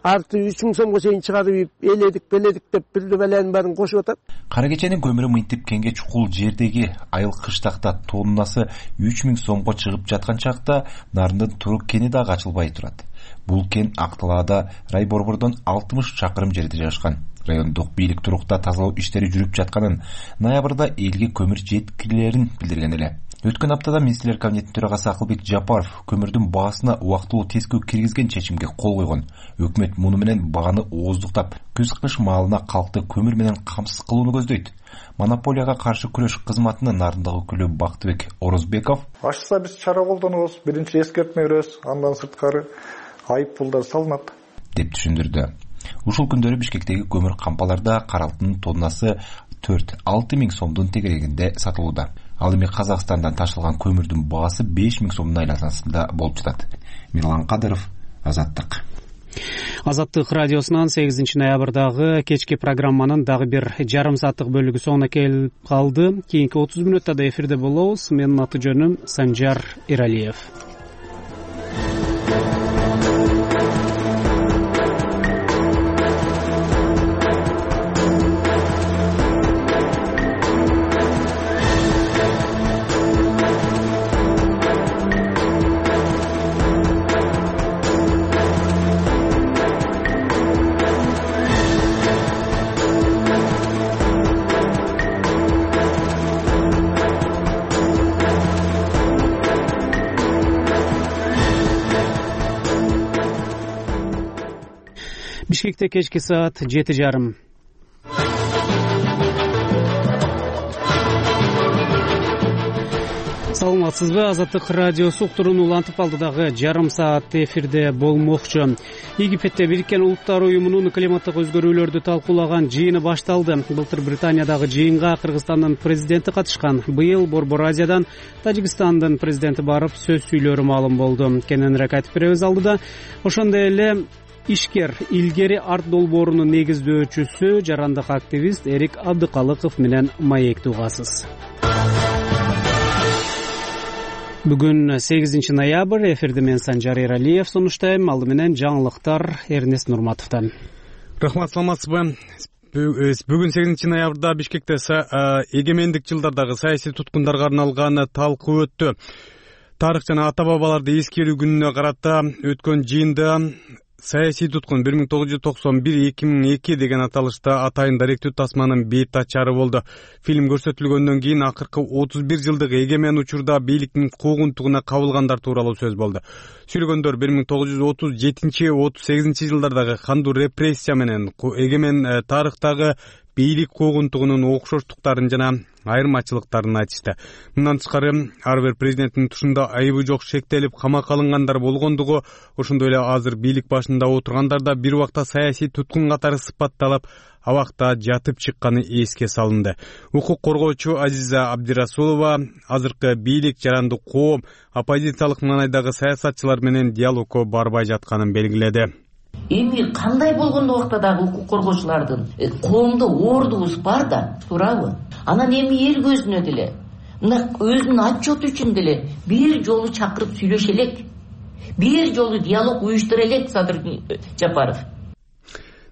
арты үч миң сомго чейин чыгарып эледик, беледик деп бир беленин баарын кошуп атат. Кара Кеченин көмүрү мынтип кеңге чукул жердеги айыл кыштакта тоннасы үч миң сомго чыгып жаткан чакта Нарындын Турук кени дагы ачылбай турат. Бул кен Актылаада Райборбордон алтымыш чакырым жерде жайгашкан. Райондук бийлик Турукта тазалоо иштери жүрүп жатканын, ноябрда элге көмүр жеткилерин билдирген эле. Өткөн аптада министрлер кабинетинин төрагасы Акылбек Жапаров көмүрдүн баасына убактылуу тескөө киргизген чечимге кол койгон. Өкмөт муну менен бааны ооздуктап, күз-кыш маалына калкты көмүр менен камсыз кылууну көздөйт. Монополияга каршы күрөш кызматынын Нарындагы өкүлү Бактыбек Орозбеков: Ашса биз чара колдонобуз, биринчи эскертме беребиз, андан сырткары айып пулдар салынат деп түшүндүрдү. Ушул күндөрү Бишкектеги көмүр кампаларда кара алтындын тоннасы төрт алты миң сомдун тегерегинде сатылууда. Ал эми Казакстандан ташылган көмүрдүн баасы беш миң сомдун айланасында болуп жатат. Мирлан Кадыров, Азаттык. Азаттык радиосунан сегизинчи ноябрдагы кечки программанын дагы бир жарым сааттык бөлүгү соңуна келип калды. Кийинки отуз мүнөттө да эфирде болобуз. Менин аты жөнүм Санжар Эралиев. Бишкекте кечки саат жети жарым. Саламатсызбы? Азаттык радиосу уктуруун улантып алдыдагы жарым саат эфирде болмокчу. Египетте Бириккен Улуттар уюмунун климаттык өзгөрүүлөрдү талкуулаган жыйыны башталды. Былтыр Британиядагы жыйынга Кыргызстандын президенти катышкан. Быйыл Борбор Азиядан Тажикстандын президенти барып сөз сүйлөөрү маалым болду. Кененирээк айтып беребиз алдыда. Ошондой эле ишкер илгери арт долбоорунун негиздөөчүсү, жарандык активист Эрик Абдыкалыков менен маектүү угасыз. Бүгүн сегизинчи ноябрь, эфирде мен Санжар Эралиев сунуштайм. Алды менен жаңылыктар Эрнест Нурматовдон. Рахмат, саламатсызбы? Бүгүн сегизинчи ноябрда Бишкекте эгемендик жылдардагы саясий туткундарга арналган талкуу өттү. Тарых жана ата бабаларды эскерүү күнүнө карата өткөн жыйында саясий туткун бир миң тогуз жүз токсон бир эки миң эки деген аталышта атайын даректүү тасманын бет ачары болду. Фильм көрсөтүлгөндөн кийин акыркы отуз бир жылдык эгемен учурда бийликтин куугунтугуна кабылгандар тууралуу сөз болду. Сүйлөгөндөр бир миң тогуз жүз отуз жетинчи отуз сегизинчи жылдардагы кандуу репрессия менен эгемен тарыхтагы бийлик куугунтугунун окшоштуктарын жана айырмачылыктарын айтышты. Мындан тышкары ар бир президенттин тушунда айыбы жок шектелип камакка алынгандар болгондугу, ошондой эле азыр бийлик башында отургандар да бир убакта саясий туткун катары сыпатталып, абакта жатып чыкканы эске салынды. Укук коргоочу Азиза Абдирасулова азыркы бийлик жарандык коом оппозициялык маанайдагы саясатчылар менен диалогко барбай жатканын белгиледи. Эми кандай болгондо убакта дагы укук коргоочулардын коомдо ордубуз бар да, туурабы? Анан эми эл көзүнө деле, мына өзүнүн отчету үчүн деле бир жолу чакырып сүйлөшө элек. Бир жолу диалог уюштура элек, Садыр Жапаров.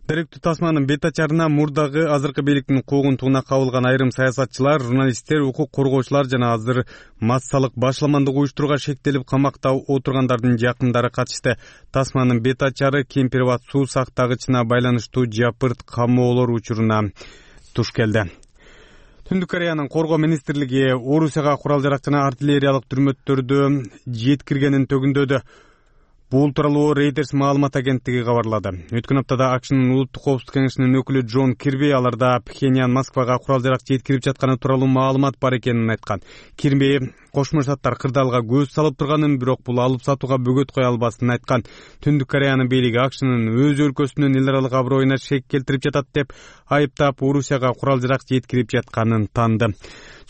Даректүү тасманын бет ачарына мурдагы азыркы бийликтин куугунтугуна кабылган айрым саясатчылар, журналисттер, укук коргоочулар жана азыр массалык башламандык уюштурууга шектелип камакта отургандардын жакындары катышты. Тасманын бет ачары Кемпирбат суу сактагычына байланыштуу жапырт камоолор учуруна туш келди. Түндүк Кореянын коргоо министрлиги Орусияга курал-жарак жана артиллериялык түрмөттөрдү жеткиргенин төгүндөдү. Бул тууралуу Reuters маалымат агенттиги кабарлады. Өткөн аптада АКШнын улуттук коопсуздук кеңешинин өкүлү Джон Кирби аларда Пхеньян Москвага курал-жарак жеткирип жатканы тууралуу маалымат бар экенин айткан. Кирби Кошмо Штаттар кырдаалга көз салып турганын, бирок бул алып сатууга бөгөт кое албасын айткан. Түндүк Кореянын бийлиги АКШнын өз өлкөсүнүн эл аралык аброюна шек келтирип жатат деп айыптап, Орусияга курал-жарак жеткирип жатканын таанды.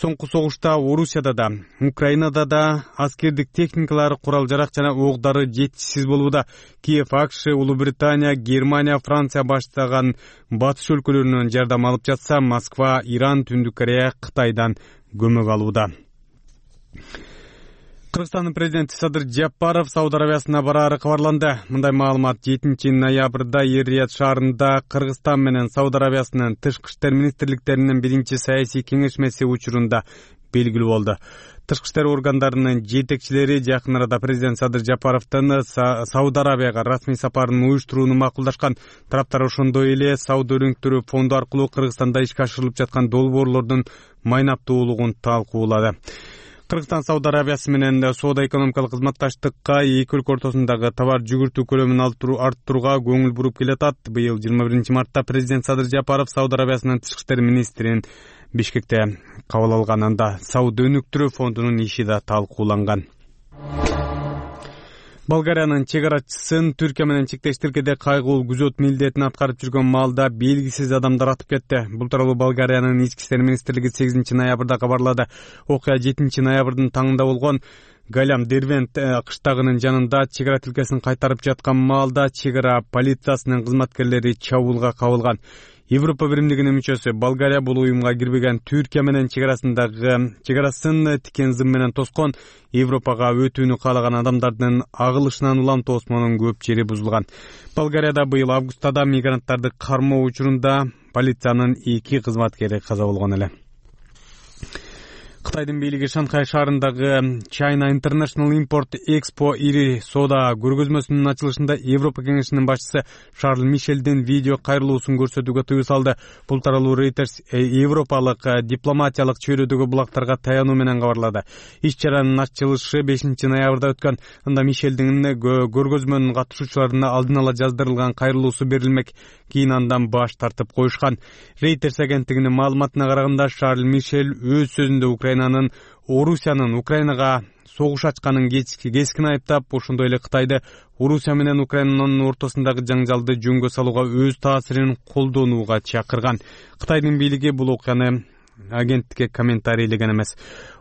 Соңку согушта Орусияда да, Украинада да аскердик техникалар, курал-жарак жана оокдары жетишсиз болууда. Киев, АКШ, Улуу Британия, Германия, Франция баштаган батыш өлкөлөрүнөн жардам алып жатса, Москва, Иран, Түндүк Корея Кытайдан көмөк алууда. Кыргызстандын президенти Садыр Жапаров Сауд Арабиясына бараары кабарланды. Мындай маалымат жетинчи ноябрда Эр-Рияд шаарында Кыргызстан менен Сауд Арабиясынын тышкы иштер министрликтеринин биринчи саясий кеңешмеси учурунда белгилүү болду. Тышкы иштер органдарынын жетекчилери жакын арада президент Садыр Жапаровдун Сауд Арабияга расмий сапарын уюштурууну макулдашкан. Тараптар ошондой эле Сауда өрүңктөрү фонду аркылуу Кыргызстанда ишке ашырылып жаткан долбоорлордун майнаптуулугун талкуулады. Кыргызстан Сауд Арабиясы менен соода-экономикалык кызматташтыкка эки өлкө ортосундагы товар жүгүртүү көлөмүн арттырууга көңүл буруп келатат. Быйыл жыйырма биринчи мартта президент Садыр Жапаров Сауд Арабиясынын тышкы иштер министрин Бишкекте кабыл алганында Сауда өнүктүрүү фондунун иши да талкууланган. Болгариянын чек арачысын Түркия менен чектеш тилкеде кайгылуу күзөт милдетин аткарып жүргөн маалда белгисиз адамдар атып кетти. Бул тууралуу Болгариянын ички иштер министрлиги сегизинчи ноябрда кабарлады. Окуя жетинчи ноябрдын таңында болгон. Галям Дервент кыштагынын жанында чек ара тилкесин кайтарып жаткан маалда чек ара полициясынын кызматкерлери чабуулга кабылган. Европа биримдигинин мүчөсү Болгария бул уюмга кирбеген Түркия менен чек арасындагы чек арасын тикен зым менен тоскон. Европага өтүүнү каалаган адамдардын агылышынан улам тоосмонун көп жери бузулган. Болгарияда быйыл августада мигранттарды кармоо учурунда полициянын эки кызматкери каза болгон эле. Кытайдын бийлиги Шанхай шаарындагы China International Import Expo ири соода көргөзмөсүнүн ачылышында Европа кеңешинин башчысы Шарль Мишелдин видео кайрылуусун көрсөтүүгө тыюу салды. Бул тууралуу Reuters европалык дипломатиялык чөйрөдөгү булактарга таянуу менен кабарлады. Иш-чаранын ачылышы бешинчи ноябрда өткөн. Анда Мишелдин көргөзмөнүн катышуучуларына алдын ала жаздырылган кайрылуусу берилмек. Кийин андан баш тартып коюшкан. Reuters агенттигинин маалыматына караганда Шарль Мишель өз сөзүндө Украинанын Орусиянын Украинага согуш ачканын кескин айыптап, ошондой эле Кытайды Орусия менен Украинанын ортосундагы жаңжалды жөнгө салууга өз таасирин колдонууга чакырган. Кытайдын бийлиги бул окуяны агенттикке комментарийлеген эмес.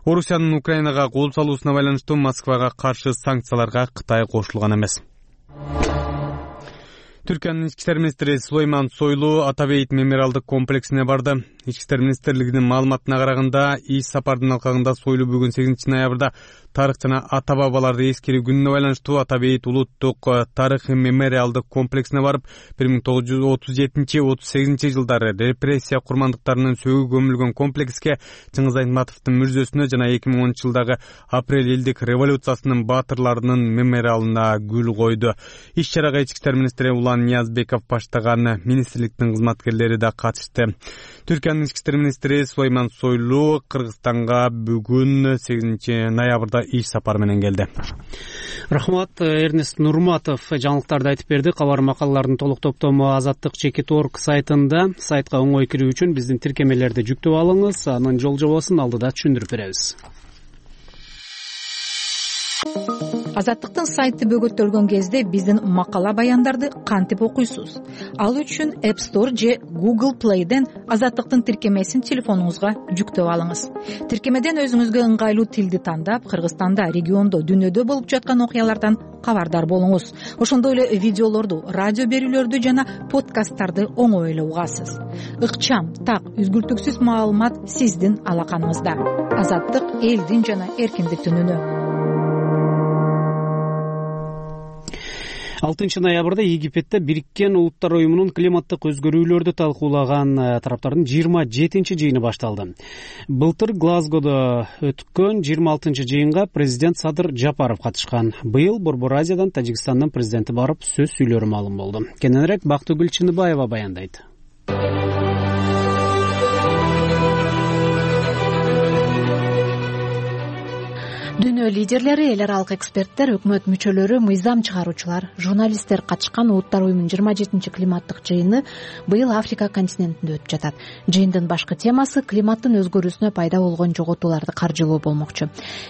Орусиянын Украинага кол салуусуна байланыштуу Москвага каршы санкцияларга Кытай кошулган эмес. Түркиянын ички иштер министри Сулейман Сойлу Атабейт мемориалдык комплексине барды. Ички иштер министрлигинин маалыматына караганда, иш сапардын алкагында Сойлу бүгүн сегизинчи ноябрда тарых жана ата бабаларды эскерүү күнүнө байланыштуу Атабейт улуттук тарыхый мемориалдык комплексине барып, бир миң тогуз жүз отуз жетинчи отуз сегизинчи жылдары репрессия курмандыктарынын сөгүү көмүлгөн комплекске, Чыңгыз Айтматовдун мүрзөсүнө жана эки миң онунчу жылдагы апрель элдик революциясынын баатырларынын мемориалына гүл койду. Иш-чарага ички иштер министри Улан Ниязбеков баштаган министрликтин кызматкерлери да катышты. Түркиянын ички иштер министри Сулейман Сойлу Кыргызстанга бүгүн сегизинчи ноябрда иш сапар менен келди. Рахмат, Эрнест Нурматов жаңылыктарды айтып берди. Кабар макалалардын толук топтому Азаттык чекит точка орг сайтында. Сайтка оңой кирүү үчүн биздин тиркемелерди жүктөп алыңыз. Анын жол жобосун алдыда түшүндүрүп беребиз. Азаттыктын сайты бөгөттөлгөн кезде биздин макала баяндарды кантип окуйсуз? Ал үчүн App Store же Google Play'ден Азаттыктын тиркемесин телефонуңузга жүктөп алыңыз. Тиркемеден өзүңүзгө ыңгайлуу тилди тандап, Кыргызстанда, региондо, дүнүйдө болуп жаткан окуялардан кабардар болуңуз. Ошондой эле видеолорду, радио берүүлөрдү жана подкасттарды оңой эле угасыз. Ыкчам, так, үзгүлтүксүз маалымат сиздин алаканыңызда. Азаттык элдин жана эркиндиктин үнү. алтынчы ноябрда Египетте Бириккен Улуттар уюмунун климаттык өзгөрүүлөрдү талкуулаган тараптардын жыйырма жетинчи жыйыны башталды. Былтыр Глазгодо өткөн жыйырма алтынчы жыйынга президент Садыр Жапаров катышкан. Быйыл Борбор Азиядан Тажикстандын президенти барып сөз сүйлөрү маалым болду. Кененирээк Бактыгүл Чыныбаева баяндайт. Дүйнө лидерлери, эл аралык эксперттер, өкмөт мүчөлөрү, мыйзам чыгаруучулар, журналисттер катышкан Улуттар уюмунун жыйырма жетинчи климаттык жыйыны быйыл Африка континентинде өтүп жатат. Жыйындын башкы темасы климаттын өзгөрүүсүнө пайда болгон жоготууларды каржылоо болмокчу.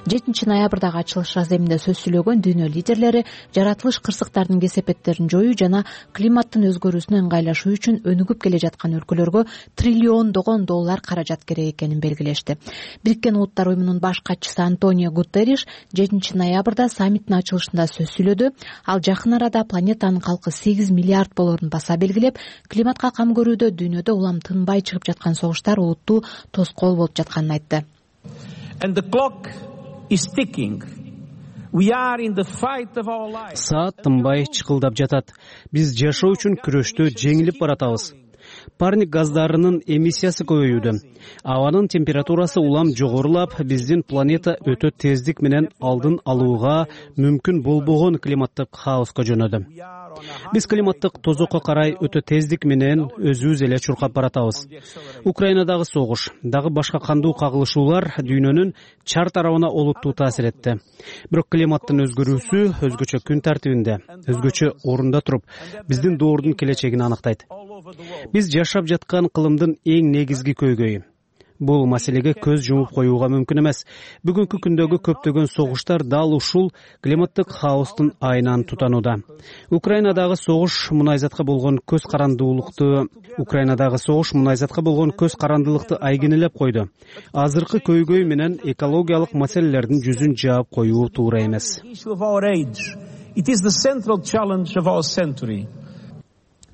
жетинчи ноябрдагы ачылыш раземинде сөз сүйлөгөн дүйнө лидерлери жаратылыш кырсыктардын кесепеттерин жоюу жана климаттын өзгөрүүсүнө ыңгайлашуу үчүн өнүгүп келе жаткан өлкөлөргө триллиондогон доллар каражат керек экенин белгилешти. Бириккен Улуттар уюмунун баш катчысы Антонио Гутерриш жетинчи ноябрда саммиттин ачылышында сөз сүйлөдү. Ал жакын арада планетанын калкы сегиз миллиард болорун баса белгилеп, климатка кам көрүүдө дүйнөдө улам тынбай чыгып жаткан согуштар олуттуу тоскоол болуп жатканын айтты. Саат тынбай чыкылдап жатат. Биз жашоо үчүн күрөштө жеңилип баратабыз. Парник газдарынын эмиссиясы көбөйүүдө. Абанын температурасы улам жогорулап, биздин планета өтө тездик менен алдын алууга мүмкүн болбогон климаттык хаоска жөнөдү. Биз климаттык тозокко карай өтө тездик менен өзүбүз эле чуркап баратабыз. Украинадагы согуш, дагы башка кандуу кагылышуулар дүйнөнүн чар тарабына олуттуу таасир этти. Бирок климаттын өзгөрүүсү өзгөчө күн тартибинде, өзгөчө орунда туруп, биздин доордун келечегин аныктайт. Биз жашап жаткан кылымдын эң негизги көйгөйү. бул маселеге көз жумуп коюуга мүмкүн эмес. Бүгүнкү күндөгү көптөгөн согуштар дал ушул климаттык хаостун айынан тутанууда. Украинадагы согуш мунайзатка болгон көз карандуулукту Украинадагы согуш мунайзатка болгон көз карандылыкты айгинелеп койду. Азыркы көйгөй менен экологиялык маселелердин жүзүн жаап коюу туура эмес.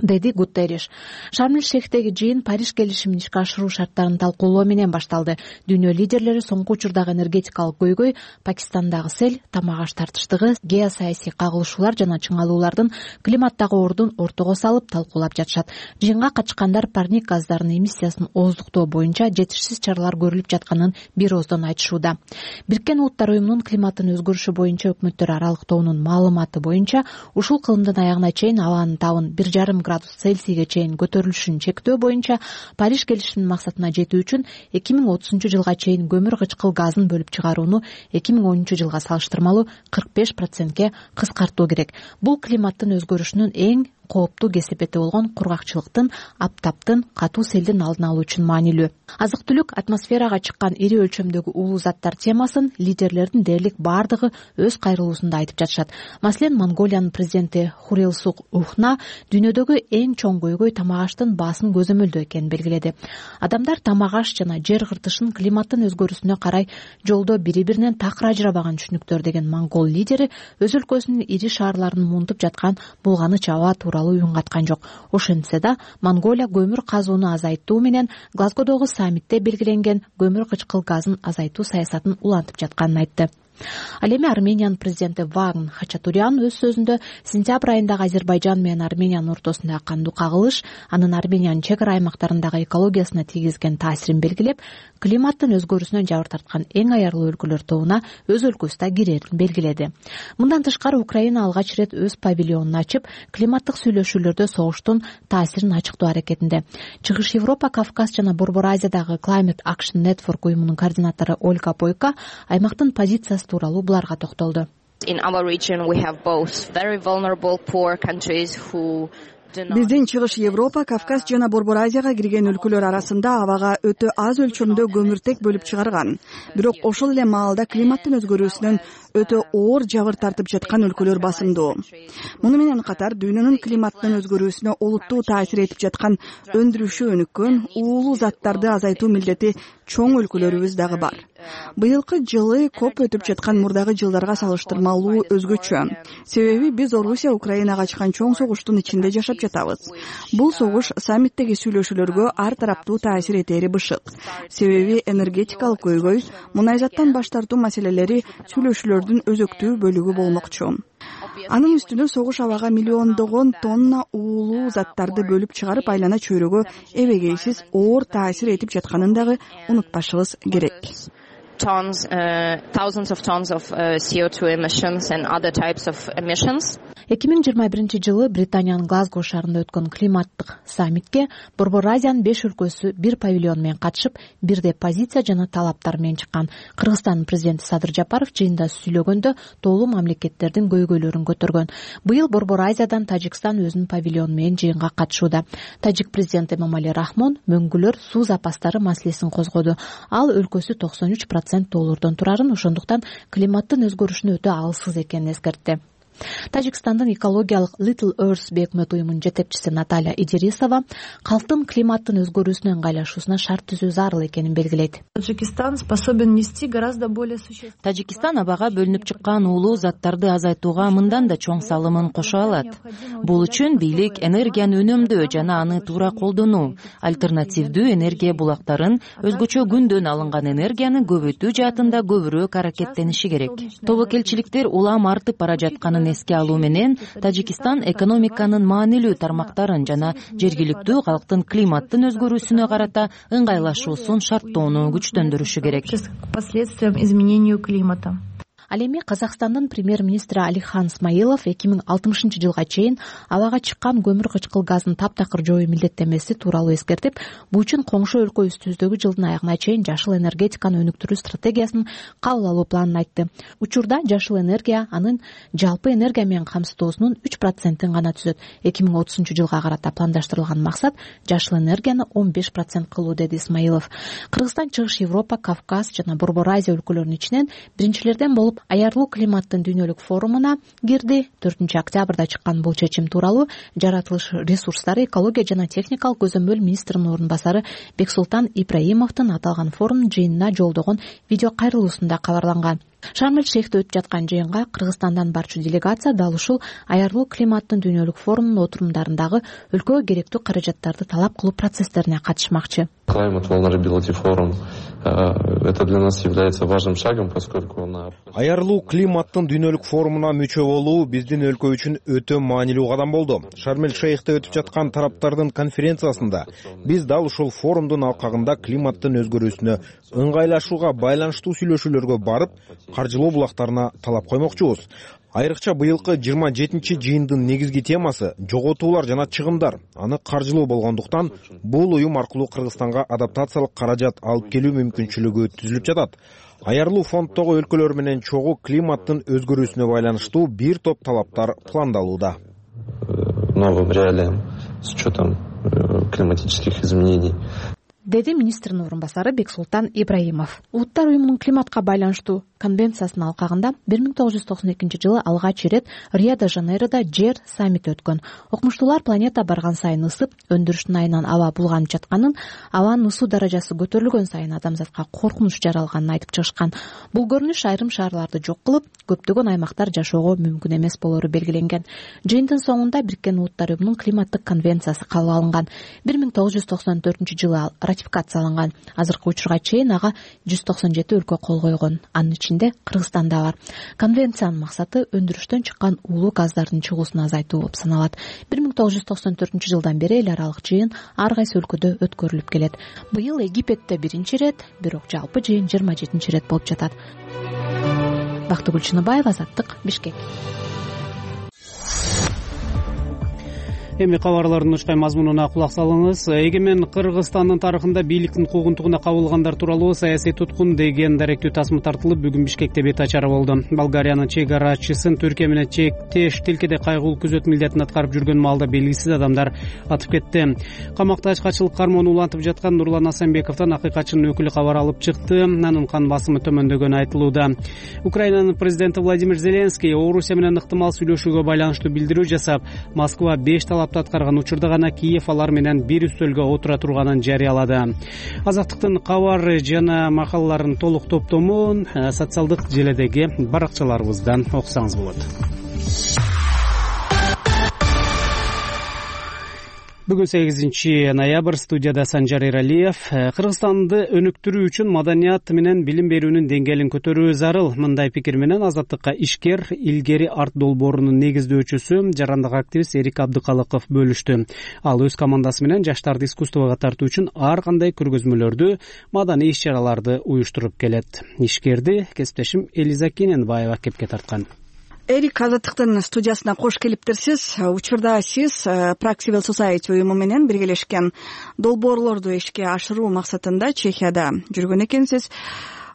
деди Гутерриш. Шарм-эль-Шейхтеги жыйын Париж келишимин ишке ашыруу шарттарын талкуулоо менен башталды. Дүйнө лидерлери соңку учурдагы энергетикалык көйгөй, Пакистандагы сел, тамак-аш тартыштыгы, геосаясий кагылышуулар жана чыңалуулардын климаттагы ордун ортого салып талкуулап жатышат. Жыйынга катышкандар парник газдарынын эмиссиясын ооздуктоо боюнча жетишсиз чаралар көрүлүп жатканын бир ооздон айтышууда. Бириккен Улуттар уюмунун климаттын өзгөрүшү боюнча өкмөттөр аралык тобунун маалыматы боюнча ушул кылымдын аягына чейин абанын табын бир жарым градус Цельсийге чейин көтөрүлүшүн чектөө боюнча Париж келишиминин максатына жетүү үчүн эки миң отузунчу жылга чейин көмүр кычкыл газын бөлүп чыгарууну эки миң онунчу жылга салыштырмалуу кырк беш процентке кыскартуу керек. Бул климаттын өзгөрүшүнүн эң кооптуу кесепети болгон кургакчылыктын, аптаптын, катуу селдин алдын алуу үчүн маанилүү. Азык-түлүк атмосферага чыккан ири өлчөмдөгү уулуу заттар темасын лидерлердин дээрлик бардыгы өз кайрылуусунда айтып жатышат. Маселен, Монголиянын президенти Хурилсук Ухна дүйнөдөгү эң чоң көйгөй тамак-аштын баасын көзөмөлдөө экенин белгиледи. Адамдар тамак-аш жана жер кыртышын климаттын өзгөрүүсүнө карай жолдо бири-биринен такыр ажырабаган түшүнүктөр деген монгол лидери өз өлкөсүнүн ири шаарларын муунтуп жаткан булганыч аба тууралуу үн каткан жок. Ошентсе да, Монголия көмүр казууну азайтуу менен Глазгодогу саммитте белгиленген көмүр кычкыл газын азайтуу саясатын улантып жатканын айтты. Ал эми Армениянын президенти Вагн Хачатурян өз сөзүндө сентябрь айындагы Азербайжан менен Армениянын ортосундагы кандуу кагылыш анын Армениянын чек ара аймактарындагы экологиясына тийгизген таасирин белгилеп, климаттын өзгөрүүсүнөн жабыр тарткан эң аярлуу өлкөлөр тобуна өз өлкөсү да кирерин белгиледи. Мындан тышкары Украина алгач ирет өз павильонун ачып, климаттык сүйлөшүүлөрдө согуштун таасирин ачыктоо аракетинде. Чыгыш Европа, Кавказ жана Борбор Азиядагы Climate Action Network уюмунун координатору Ольга Бойко аймактын позициясы тууралуу буларга токтолду. In our region we have both very vulnerable poor countries who Биздин Чыгыш Европа, Кавказ жана Борбор Азияга кирген өлкөлөр арасында абага өтө аз өлчөмдө көмүртек бөлүп чыгарган. Бирок ошол эле маалда климаттын өзгөрүүсүнөн өтө оор жабыр тартып жаткан өлкөлөр басымдуу. Муну менен катар дүйнөнүн климаттын өзгөрүүсүнө олуттуу таасир этип жаткан өндүрүшү өнүккөн уулуу заттарды азайтуу милдети чоң өлкөлөрүбүз дагы бар. Быйылкы жылы коп өтүп жаткан мурдагы жылдарга салыштырмалуу өзгөчө. Себеби биз Орусия Украинага ачкан чоң согуштун ичинде жашап жатабыз. Бул согуш саммиттеги сүйлөшүүлөргө ар тараптуу таасир этери бышык. Себеби энергетикалык көйгөй, мунайзаттан баш тартуу маселелери сүйлөшүүлөрдүн өзөктүү бөлүгү болмокчу. Анын үстүнө согуш абага миллиондогон тонна уулуу заттарды бөлүп чыгарып айлана чөйрөгө эбегейсиз оор таасир этип жатканын дагы унутпашыбыз керек. Tons, uh, thousands of tons of uh, C O two emissions and other types of emissions. эки миң жыйырма биринчи жылы Британиянын Глазго шаарында өткөн климаттык саммитке Борбор Азиянын беш өлкөсү бир павильон менен катышып, бирдей позиция жана талаптар менен чыккан. Кыргызстандын президенти Садыр Жапаров жыйында сүйлөгөндө тоолуу мамлекеттердин көйгөйлөрүн көтөргөн. Быйыл Борбор Азиядан Тажикстан өзүнүн павильону менен жыйынга катышууда. Тажик президенти Эмомали Рахмон мөңгүлөр суу запастары маселесин козгоду. Ал өлкөсү токсон үч процент тоолордон турарын, ошондуктан климаттын өзгөрүшүнө өтө алсыз экенин эскертти. Тажикстандын экологиялык Little Earth бейөкмөт уюмунун жетекчиси Наталья Идирисова калктын климаттын өзгөрүүсүнө ыңгайлашуусуна шарт түзүү зарыл экенин белгилейт. Таджикистан способен нести гораздо более существенный. Тажикистан абага бөлүнүп чыккан уулуу заттарды азайтууга мындан да чоң салымын кошо алат. Бул үчүн бийлик энергияны үнөмдөө жана аны туура колдонуу, альтернативдүү энергия булактарын, өзгөчө күндөн алынган энергияны көбөйтүү жаатында көбүрөөк аракеттениши керек. Тобокелчиликтер улам артып бара жатканын эске алуу менен Тажикистан экономиканын маанилүү тармактарын жана жергиликтүү калктын климаттын өзгөрүүсүнө карата ыңгайлашуусун шарттоону күчтөндүрүшү керек. Последствиям изменению климата. Ал эми Казакстандын премьер-министри Алихан Смайылов эки миң алтымышынчы жылга чейин абага чыккан көмүр кычкыл газын таптакыр жоюу милдеттенмеси тууралуу эскертип, бул үчүн коңшу өлкө үстүбүздөгү жылдын аягына чейин жашыл энергетиканы өнүктүрүү стратегиясын кабыл алуу планын айтты. Учурда жашыл энергия анын жалпы энергия менен камсыздоосунун үч процентин гана түзөт. эки миң отузунчу жылга карата пландаштырылган максат жашыл энергияны он беш процент кылуу, деди Исмаилов. Кыргызстан Чыгыш Европа, Кавказ жана Борбор Азия өлкөлөрүнүн ичинен биринчилерден болуп аярлуу климаттын дүйнөлүк форумуна кирди. төртүнчү октябрда чыккан бул чечим тууралуу жаратылыш ресурстары, экология жана техникалык көзөмөл министринин орун басары Бексултан Ибраимовдун аталган форум жыйынына жолдогон видео кайрылуусунда кабарланган. Шарм-эль-Шейхте өтүп жаткан жыйынга Кыргызстандан барчу делегация дал ушул аярлуу климаттын дүйнөлүк форумунун отурумдарындагы өлкөгө керектүү каражаттарды талап кылуу процесстерине катышмакчы. Climate Vulnerability Forum это для нас является важным шагом, поскольку на Аярлуу климаттын дүйнөлүк форумуна мүчө болуу биздин өлкө үчүн өтө маанилүү кадам болду. Шарм-эль-Шейхте өтүп жаткан тараптардын конференциясында биз дал ушул форумдун алкагында климаттын өзгөрүүсүнө ыңгайлашууга байланыштуу сүйлөшүүлөргө барып, каржылоо булактарына талап коймокчубуз. Айрыкча быйылкы жыйырма жетинчи жыйындын негизги темасы жоготуулар жана чыгымдар. Аны каржылоо болгондуктан бул уюм аркылуу Кыргызстанга адаптациялык каражат алып келүү мүмкүнчүлүгү түзүлүп жатат. Аярлуу фонддогу өлкөлөр менен чогуу климаттын өзгөрүүсүнө байланыштуу бир топ талаптар пландалууда. Новым реалиям с учетом климатических изменений, деди министрдин орун басары Бексултан Ибраимов. Улуттар уюмунун климатка байланыштуу конвенциясынын алкагында бир миң тогуз жүз токсон экинчи жылы алгач ирет Рио-де-Жанейродо жер саммити өткөн. Окумуштуулар планета барган сайын ысып, өндүрүштүн айынан аба булганып жатканын, абанын ысуу даражасы көтөрүлгөн сайын адамзатка коркунуч жаралганын айтып чыгышкан. Бул көрүнүш айрым шаарларды жок кылып, көптөгөн аймактар жашоого мүмкүн эмес болору белгиленген. Жыйындын соңунда Бириккен Улуттар уюмунун климаттык конвенциясы кабыл алынган. бир миң тогуз жүз токсон төртүнчү жылы ратификацияланган. Азыркы учурга чейин ага жүз токсон жети өлкө кол койгон. Анын ичинде Кыргызстан да бар. Конвенциянын максаты өндүрүштөн чыккан уулуу газдардын чыгуусун азайтуу болуп саналат. бир миң тогуз жүз токсон төртүнчү жылдан бери эл аралык жыйын ар кайсы өлкөдө өткөрүлүп келет. Быйыл Египетте биринчи ирет, бирок жалпы жыйын жыйырма жетинчи ирет болуп жатат. Бактыгүл Чыныбаева, Азаттык, Бишкек. Эми кабарлардын учкай мазмунуна кулак салыңыз. Эгемен Кыргызстандын тарыхында бийликтин куугунтугуна кабылгандар тууралуу саясий туткун деген даректүү тасма тартылып, бүгүн Бишкекте бет ачары болду. Болгариянын чек арачысын Түркия менен чектеш тилкеде кайгылуу күзөт милдетин аткарып жүргөн маалда белгисиз адамдар атып кетти. Камакта ачкачылык кармоonu улантып жаткан Нурлан Асанбековдон акыйкатчынын өкүлү кабар алып чыкты. Анын кан басымы төмөндөгөнү айтылууда. Украинанын президенти Владимир Зеленский Орусия менен ыктымал сүйлөшүүгө байланыштуу билдирүү жасап, Москва беш талап аткарган учурда гана Киев алар менен бир үстөлгө отура турганын жарыялады. Азаттыктын кабар жана макалаларын толук топтомун социалдык желедеги баракчаларыбыздан окусаңыз болот. Бүгүн сегизинчи ноябрь, студияда Санжар Эралиев. Кыргызстанды өнүктүрүү үчүн маданият менен билим берүүнүн деңгээлин көтөрүү зарыл. Мындай пикир менен Азаттыкка ишкер илгери арт долбоорунун негиздөөчүсү, жарандык активист Эрик Абдыкалыков бөлүштү. Ал өз командасы менен жаштарды искусствого тартуу үчүн ар кандай көргөзмөлөрдү, маданий иш-чараларды уюштуруп келет. Ишкерди кесиптешим Элиза Кененбаева кепке тарткан. Эрик, Азаттыктын студиясына кош келиптирсиз. Учурда сиз Prague Civil Society уюму менен биргелешкен долбоорлорду ишке ашыруу максатында Чехияда жүргөн экенсиз.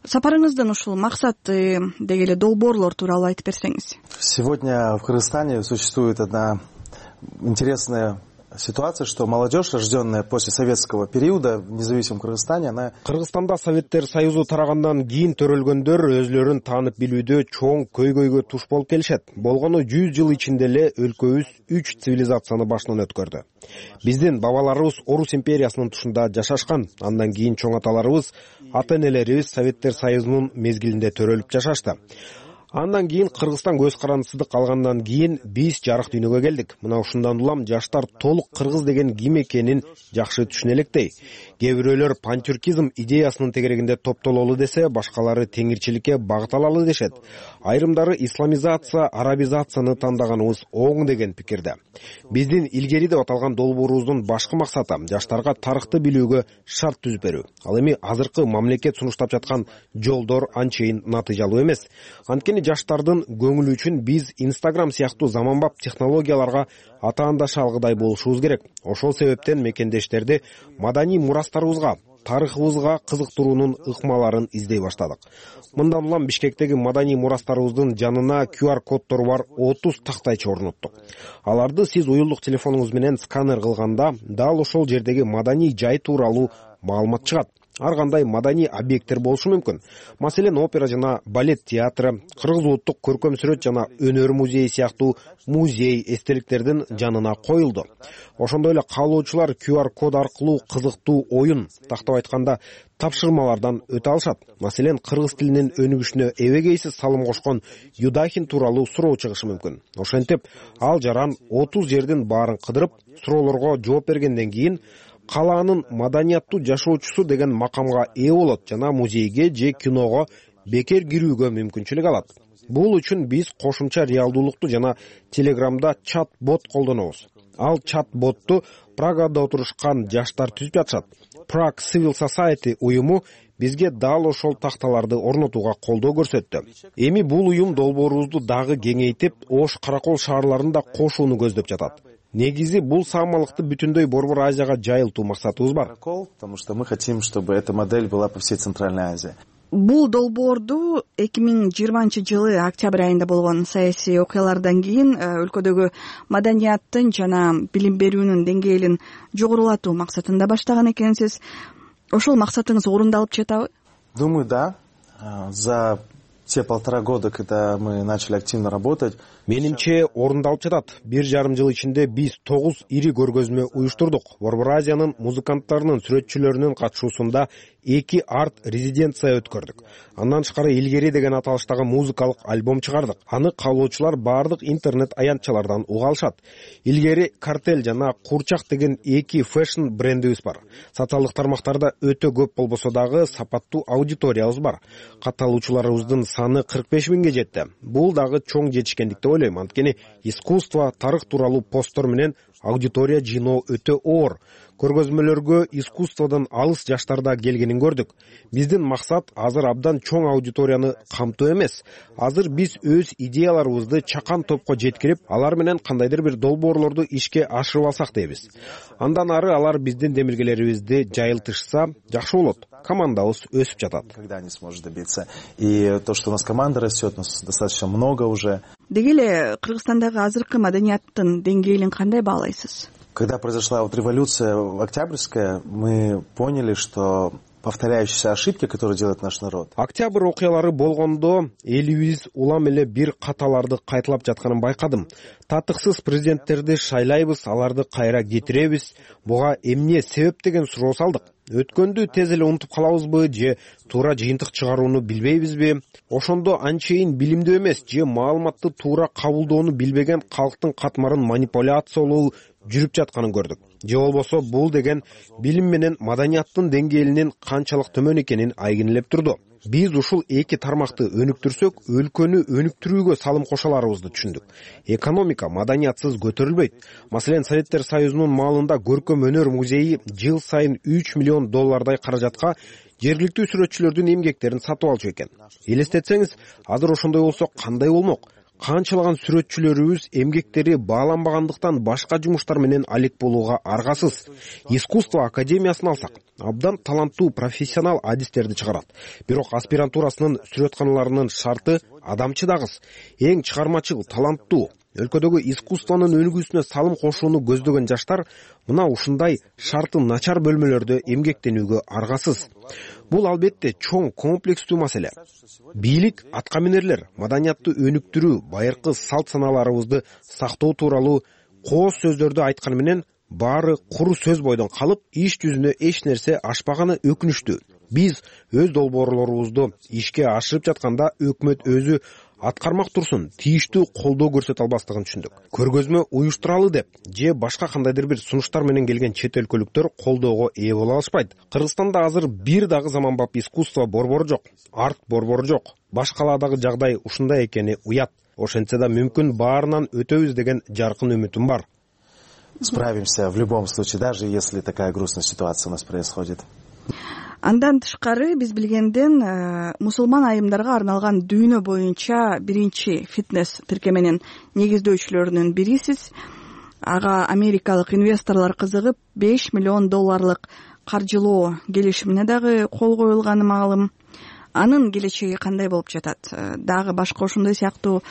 Сапарыңыздын ушул максаты деги эле долбоорлор тууралуу айтып берсеңиз. Сегодня в Кыргызстане существует одна интересная ситуация, что молодежь, рожденная после советского периода в независимом Кыргызстане, она... Кыргызстанда Советтер Союзу тарагандан кийин төрөлгөндөр өзлөрүн таанып билүүдө чоң көйгөйгө туш болуп келишет. Болгону жүз жыл ичинде эле өлкөбүз үч цивилизацияны башынан өткөрдү. Биздин бабаларыбыз Орус империясынын тушунда жашашкан. Андан кийин чоң аталарыбыз, ата-энелерибиз Советтер Союзунун мезгилинде төрөлүп жашашты. Андан кийин Кыргызстан көз карандысыздык алгандан кийин биз жарык дүйнөгө келдик. Мына ушундан улам жаштар толук кыргыз деген ким экенин жакшы түшүнө электей. Кээ бирөөлөр пантюркизм идеясынын тегерегинде топтололу десе, башкалары теңирчиликке багыт алалы дешет. Айрымдары исламизация, арабизацияны тандаганыбыз оң деген пикирде. Биздин илгери деп аталган долбоорубуздун башкы максаты жаштарга тарыхты билүүгө шарт түзүп берүү. Ал эми азыркы мамлекет сунуштап жаткан жолдор анчейин натыйжалуу эмес. Анткени анткени жаштардын көңүлү үчүн биз Instagram сыяктуу заманбап технологияларга атаандаша алгыдай болушубуз керек. Ошол себептен мекендештерди маданий мурастарыбызга, тарыхыбызга кызыктыруунун ыкмаларын издей баштадык. Мындан улам Бишкектеги маданий мурастарыбыздын жанына ку ар коддору бар отуз тактайчы орноттук. Аларды сиз уюлдук телефонуңуз менен сканер кылганда дал ошол жердеги маданий жай тууралуу маалымат чыгат. Ар кандай маданий объекттер болушу мүмкүн. Маселен, опера жана балет театры, Кыргыз улуттук көркөм сүрөт жана өнөр музейи сыяктуу музей эстеликтердин жанына коюлду. Ошондой эле каалоочулар ку ар код аркылуу кызыктуу оюн, тактап айтканда тапшырмалардан өтө алышат. Маселен, кыргыз тилинин өнүгүшүнө эбегейсиз салым кошкон Юдахин тууралуу суроо чыгышы мүмкүн. Ошентип, ал жаран отуз жердин баарын кыдырып, суроолорго жооп бергенден кийин калаанын маданияттуу жашоочусу деген макамга ээ болот жана музейге же киного бекер кирүүгө мүмкүнчүлүк алат. Бул үчүн биз кошумча реалдуулукту жана Телеграмда чат-бот колдонобуз. Ал чат-ботту Прагада отурушкан жаштар түзүп жатышат. Prague Civil Society уюму бизге дал ошол такталарды орнотууга колдоо көрсөттү. Эми бул уюм долбоорубузду дагы кеңейтип, Ош, Каракол шаарларын да кошууну көздөп жатат. Негизи бул саамалыкты бүтүндөй Борбор Азияга жайылтуу максатыбыз бар. Потому что мы хотим, чтобы эта модель была по всей Центральной Азии. Бул долбоорду эки миң жыйырманчы жылы октябрь айында болгон саясий окуялардан кийин өлкөдөгү маданияттын жана билим берүүнүн деңгээлин жогорулатуу максатында баштаган экенсиз. Ошол максатыңыз орундалып жатабы? Думаю, да. За те полтора года, когда мы начали активно работать, менимче орундалып жатат. Бир жарым жыл ичинде биз тогуз ири көргөзмө уюштурдук. Борбор Азиянын музыканттарынын, сүрөтчүлөрүнүн катышуусунда эки арт резиденция өткөрдүк. Андан тышкары Илгери деген аталыштагы музыкалык альбом чыгардык. Аны каалоочулар бардык интернет аянтчалардан уга алышат. Илгери Картель жана Курчак деген эки фэшн брендибиз бар. Социалдык тармактарда өтө көп болбосо дагы сапаттуу аудиториябыз бар. Катталуучуларыбыздын саны кырк беш миңге жетти. Бул дагы чоң жетишкендик деп ойлойм. Анткени искусство, тарых тууралуу посттор менен аудитория жыйноо өтө оор. Көргөзмөлөргө искусстводон алыс жаштарда келгенин көрдүк. Биздин максат азыр абдан чоң аудиторияны камтоо эмес. Азыр биз өз идеяларыбызды чакан топко жеткирип, алар менен кандайдыр бир долбоорлорду ишке ашырып алсак дейбиз. Андан ары алар биздин демилгелерибизди жайылтышса жакшы болот. Командабыз өсүп жатат. Когда не сможет добиться. И то, что у нас команда растет, у нас достаточно много уже. Деги эле Кыргызстандагы азыркы маданияттын деңгээлин кандай баалайсыз? Когда произошла вот революция Октябрьская, мы поняли, что повторяющиеся ошибки, которые делает наш народ. Октябрь окуялары болгондо элибиз улам эле бир каталарды кайталап жатканын байкадым. Татыксыз президенттерди шайлайбыз, аларды кайра кетиребиз. Буга эмне себеп деген суроо салдык. Өткөндү тез эле унутуп калабызбы же туура жыйынтык чыгарууну билбейбизби? Ошондо анчейин билимдүү эмес же маалыматты туура кабылдоону билбеген калктын катмарын манипуляциялоо жүрүп жатканын көрдүк. Же болбосо бул деген билим менен маданияттын деңгээлинин канчалык төмөн экенин айгинелеп турду. Биз ушул эки тармакты өнүктүрсөк, өлкөнү өнүктүрүүгө салым кошо аларыбызды түшүндүк. Экономика маданиятсыз көтөрүлбөйт. Маселен, Советтер Союзунун маалында көркөм өнөр музейи жыл сайын үч миллион доллардай каражатка жергиликтүү сүрөтчүлөрдүн эмгектерин сатып алчу экен. Элестетсеңиз, азыр ошондой болсо кандай болмок? Канчалаган сүрөтчүлөрүбүз эмгектери бааланбагандыктан башка жумуштар менен алек болууга аргасыз. Искусство академиясын алсак, абдан таланттуу профессионал адистерди чыгарат. Бирок аспирантурасынын сүрөтканаларынын шарты адамчыдагыс, эң чыгармачыл, таланттуу. Өлкөдөгү искусствонун өлгүсүнө салым кошууну көздөгөн жаштар мына ушундай шарты начар бөлмөлөрдө эмгектенүүгө аргасыз. Бул албетте чоң комплекстүү маселе. Бийлик, аткаминерлер маданиятты өнүктүрүү, байыркы салт саналарыбызды сактоо тууралуу кооз сөздөрдү айтканы менен баары куру сөз бойдон калып, иш жүзүнө эч нерсе ашпаганы өкүнүчтүү. Биз өз долбоорлорубузду ишке ашырып жатканда өкмөт өзү аткармак турсун, тийиштүү колдоо көрсөтө албастыгын түшүндүк. Көргөзмө уюштуралы деп же башка кандайдыр бир сунуштар менен келген чет өлкөлүктөр колдоого ээ боло алышпайт. Кыргызстанда азыр бир дагы заманбап искусство борбору жок, арт борбору жок. Башкалардагы жагдай ушундай экени уят. Ошентсе да мүмкүн баарынан өтөбүз деген жаркын үмүтүм бар. Справимся в любом случае, даже если такая грустная ситуация у нас происходит. Андан тышкары биз билгенден мусулман айымдарга арналган дүйнө боюнча биринчи фитнес тиркеменин негиздөөчүлөрүнүн бирисиз. Ага америкалык инвесторлор кызыгып беш миллион долларлык каржылоо келишимине дагы кол коюлганы маалым. Анын келечеги кандай болуп жатат? Дагы башка ошондой сыяктуу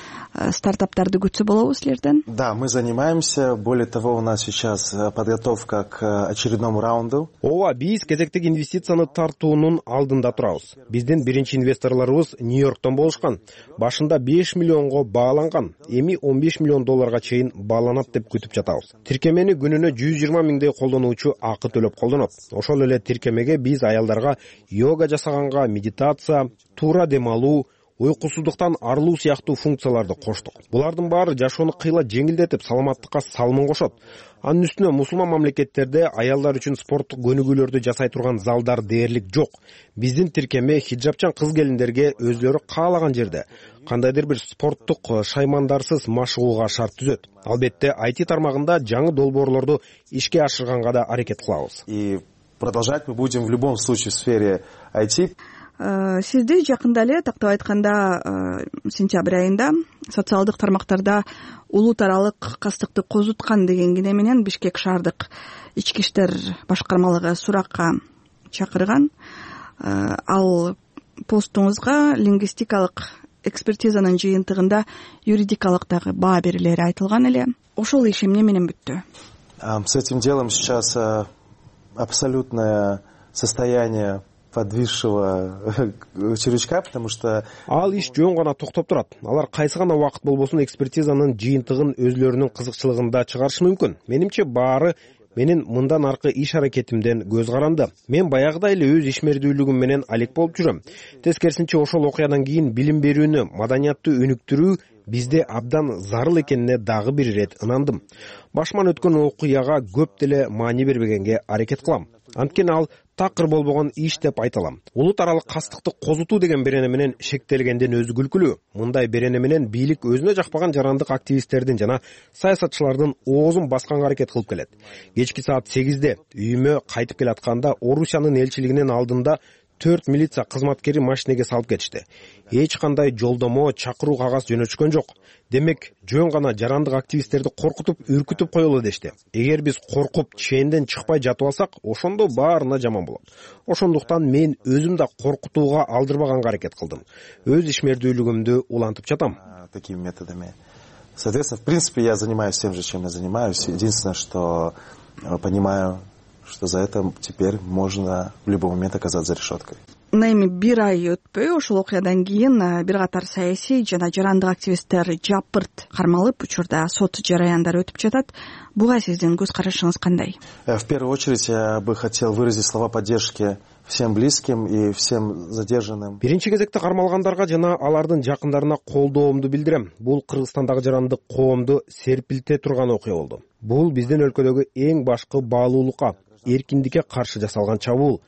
стартаптарды күтсө болобу силерден? Да, мы занимаемся. Более того, у нас сейчас подготовка к очередному раунду. Ооба, биз кезектеги инвестицияны тартуунун алдында турабыз. Биздин биринчи инвесторлорубуз Нью-Йорктон болушкан. Башында беш миллионго бааланган, эми он беш миллион долларга чейин бааланат деп күтүп жатабыз. Тиркемени күнүнө жүз жыйырма миңдей колдонуучу акы төлөп колдонот. Ошол эле тиркемеге биз аялдарга йога жасаганга, медитация, туура дем алуу, уйкусуздуктан арылуу сыяктуу функцияларды коштук. Булардын баары жашоону кыйла жеңилдетип, саламаттыкка салымын кошот. Анын үстүнө мусулман мамлекеттерде аялдар үчүн спорттук көнүгүүлөрдү жасай турган залдар дээрлик жок. Биздин тиркеме хиджабчан кыз-келиндерге өзлөрү каалаган жерде кандайдыр бир спорттук шаймандарсыз машыгууга шарт түзөт. Албетте ай ти тармагында жаңы долбоорлорду ишке ашырганга да аракет кылабыз. И продолжать мы будем в любом случае в сфере ай ти. Сизди жакында эле тактап айтканда сентябрь айында социалдык тармактарда улут аралык кастыкты козуткан деген кине менен Бишкек шаардык ички иштер башкармалыгы суракка чакырган. Ал постуңузга лингвистикалык экспертизанын жыйынтыгында юридикалык дагы баа берилери айтылган эле. Ошол иш эмне менен бүттү? С этим делом сейчас абсолютное состояние подвисшего червячка, потому что ал иш жөн гана токтоп турат. Алар кайсы гана убакыт болбосун экспертизанын жыйынтыгын өзлөрүнүн кызыкчылыгында чыгарышы мүмкүн. Менимче баары менин мындан аркы иш аракетимден көз каранды. Мен баягыдай эле өз ишмердүүлүгүм менен алек болуп жүрөм. Тескерисинче ошол окуядан кийин билим берүүнү, маданияттуу өнүктүрүү бизде абдан зарыл экенине дагы бир ирет ынандым. Башыман өткөн окуяга көп деле маани бербегенге аракет кылам. Анткени ал такыр болбогон иш деп айта алам. Улут аралык кастыкты козутуу деген берене менен шектелгенден өзү күлкүлүү. Мындай берене менен бийлик өзүнө жакпаган жарандык активисттердин жана саясатчылардын оозун басканга аракет кылып келет. Кечки саат сегизде үйүмө кайтып келатканда Орусиянын элчилигинин алдында төрт милиция кызматкери машинеге салып кетишти. Эч кандай жолдомо, чакыруу кагаз жөнөтүшкөн жок. Демек, жөн гана жарандык активисттерди коркутуп, үркүтүп коелу дешти. Эгер биз коркуп, ченден чыкпай жатып алсак, ошондо баарына жаман болот. Ошондуктан мен өзүм да коркутууга алдырбаганга аракет кылдым. Өз ишмердүүлүгүмдү улантып жатам. Такими методами. Соответственно, в принципе, я занимаюсь тем же, чем я занимаюсь. Единственное, что понимаю, что за это теперь можно в любой момент оказаться за решеткой. Эми бир ай өтпөй ошол окуядан кийин бир катар саясий жана жарандык активисттер жапырт кармалып, учурда сот жараяндары өтүп жатат. Буга сиздин көз карашыңыз кандай? В первую очередь я бы хотел выразить слова поддержки всем близким и всем задержанным. Биринчи кезекте кармалгандарга жана алардын жакындарына колдоомду билдирем. Бул Кыргызстандагы жарандык коомду серпилте турган окуя болду. Бул биздин өлкөдөгү эң башкы баалуулукка, эркиндикке каршы жасалган чабуул.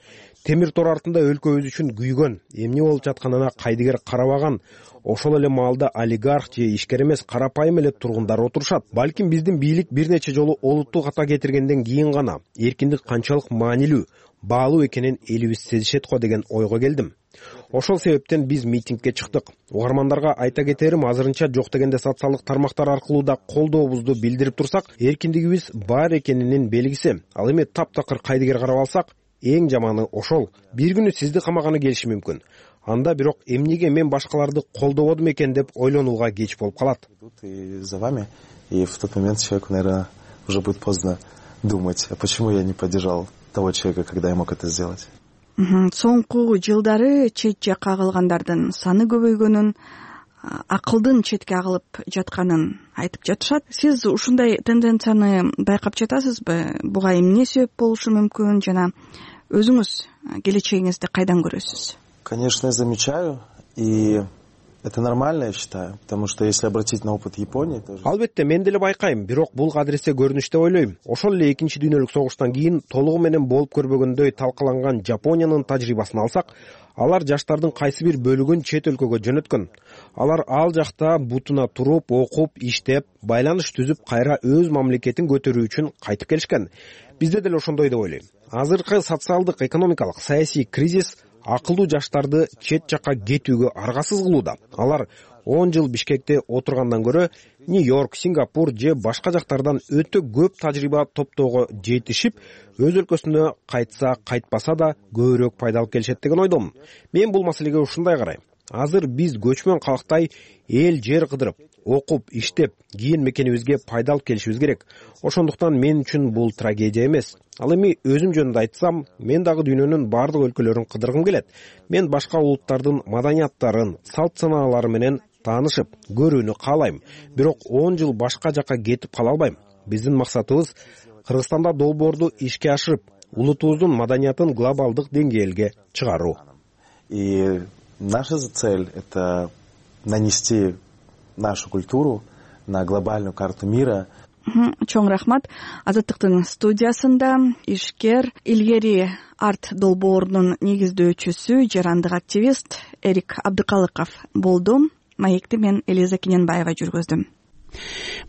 Темир тор артында өлкөбүз үчүн күйгөн, эмне болуп жатканына кайдыгер карабаган, ошол эле маалда олигарх же ишкер эмес карапайым эле тургундар отурушат. Балким биздин бийлик бир нече жолу олуттуу ката кетиргенден кийин гана эркиндик канчалык маанилүү, баалуу экенин элибиз сезишет го деген ойго келдим. Ошол себептен биз митингге чыктык. Угармандарга айта кетерим, азырынча жок дегенде социалдык тармактар аркылуу да колдообузду билдирип турсак, эркиндигибиз бар экенинин белгиси. Ал эми таптакыр кайдыгер карап алсак, эң жаманы ошол. Бир күнү сизди камаганы келиши мүмкүн. Анда бирок эмнеге мен башкаларды колдободум экен деп ойлонууга кеч болуп калат. И за вами, и в тот момент человеку, наверное, уже будет поздно думать, а почему я не поддержал того человека, когда я мог это сделать. Соңку жылдары чет жакка кагылгандардын саны көбөйгөнүн, акылдын четке агылып жатканын айтып жатышат. Сиз ушундай тенденцияны байкап жатасызбы? Буга эмне себеп болушу мүмкүн жана өзүңүз келечегиңизди кайдан көрөсүз? Конечно, я замечаю, и это нормально, я считаю, потому что если обратить на опыт Японии, тоже. Албетте, мен деле байкайм, бирок бул кадыресе көрүнүш деп ойлойм. Ошол эле экинчи дүйнөлүк согуштан кийин толугу менен болуп көрбөгөндөй талкаланган Жапониянын тажрыйбасын алсак, алар жаштардын кайсы бир бөлүгүн чет өлкөгө жөнөткөн. Алар ал жакта бутуна туруп, окуп, иштеп, байланыш түзүп, кайра өз мамлекетин көтөрүү үчүн кайтып келишкен. бизде деле ошондой деп ойлойм. Азыркы социалдык экономикалык саясий кризис акылдуу жаштарды чет жакка кетүүгө аргасыз кылууда. Алар он жыл Бишкекте отургандан көрө Нью-Йорк, Сингапур же башка жактардан өтө көп тажрыйба топтоого жетишип, өз өлкөсүнө кайтса, кайтпаса да көбүрөөк пайда алып келишет деген ойдомун. Мен бул маселеге ушундай карайм. Азыр биз көчмөн калктай эл жер кыдырып, окуп, иштеп, кийин мекенибизге пайда алып келишибиз керек. Ошондуктан мен үчүн бул трагедия эмес. Ал эми өзүм жөнүндө айтсам, мен дагы дүйнөнүн бардык өлкөлөрүн кыдыргым келет. Мен башка улуттардын маданияттарын, салт санаалары менен таанышып, көрүүнү каалайм. Бирок он жыл башка жакка кетип кала албайм. Биздин максатыбыз Кыргызстанда долбоорду ишке ашырып, улутубуздун маданиятын глобалдык деңгээлге чыгаруу. И наша цель — это нанести нашу культуру на глобальную карту мира. Чоң рахмат. Азаттыктын студиясында ишкер, илгери арт долбоорунун негиздөөчүсү, жарандык активист Эрик Абдыкалыков болду. Маекти мен Элиза Кененбаева жүргүздүм.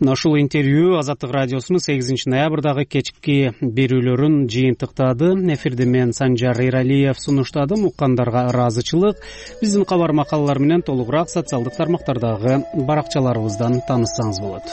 Мына ушул интервью Азаттык радиосунун сегизинчи ноябрдагы кечки берүүлөрүн жыйынтыктады. Эфирде мен Санжар Эралиев сунуштадым. Уккандарга ыраазычылык. Биздин кабар макалалар менен толугураак социалдык тармактардагы баракчаларыбыздан тааныссаңыз болот.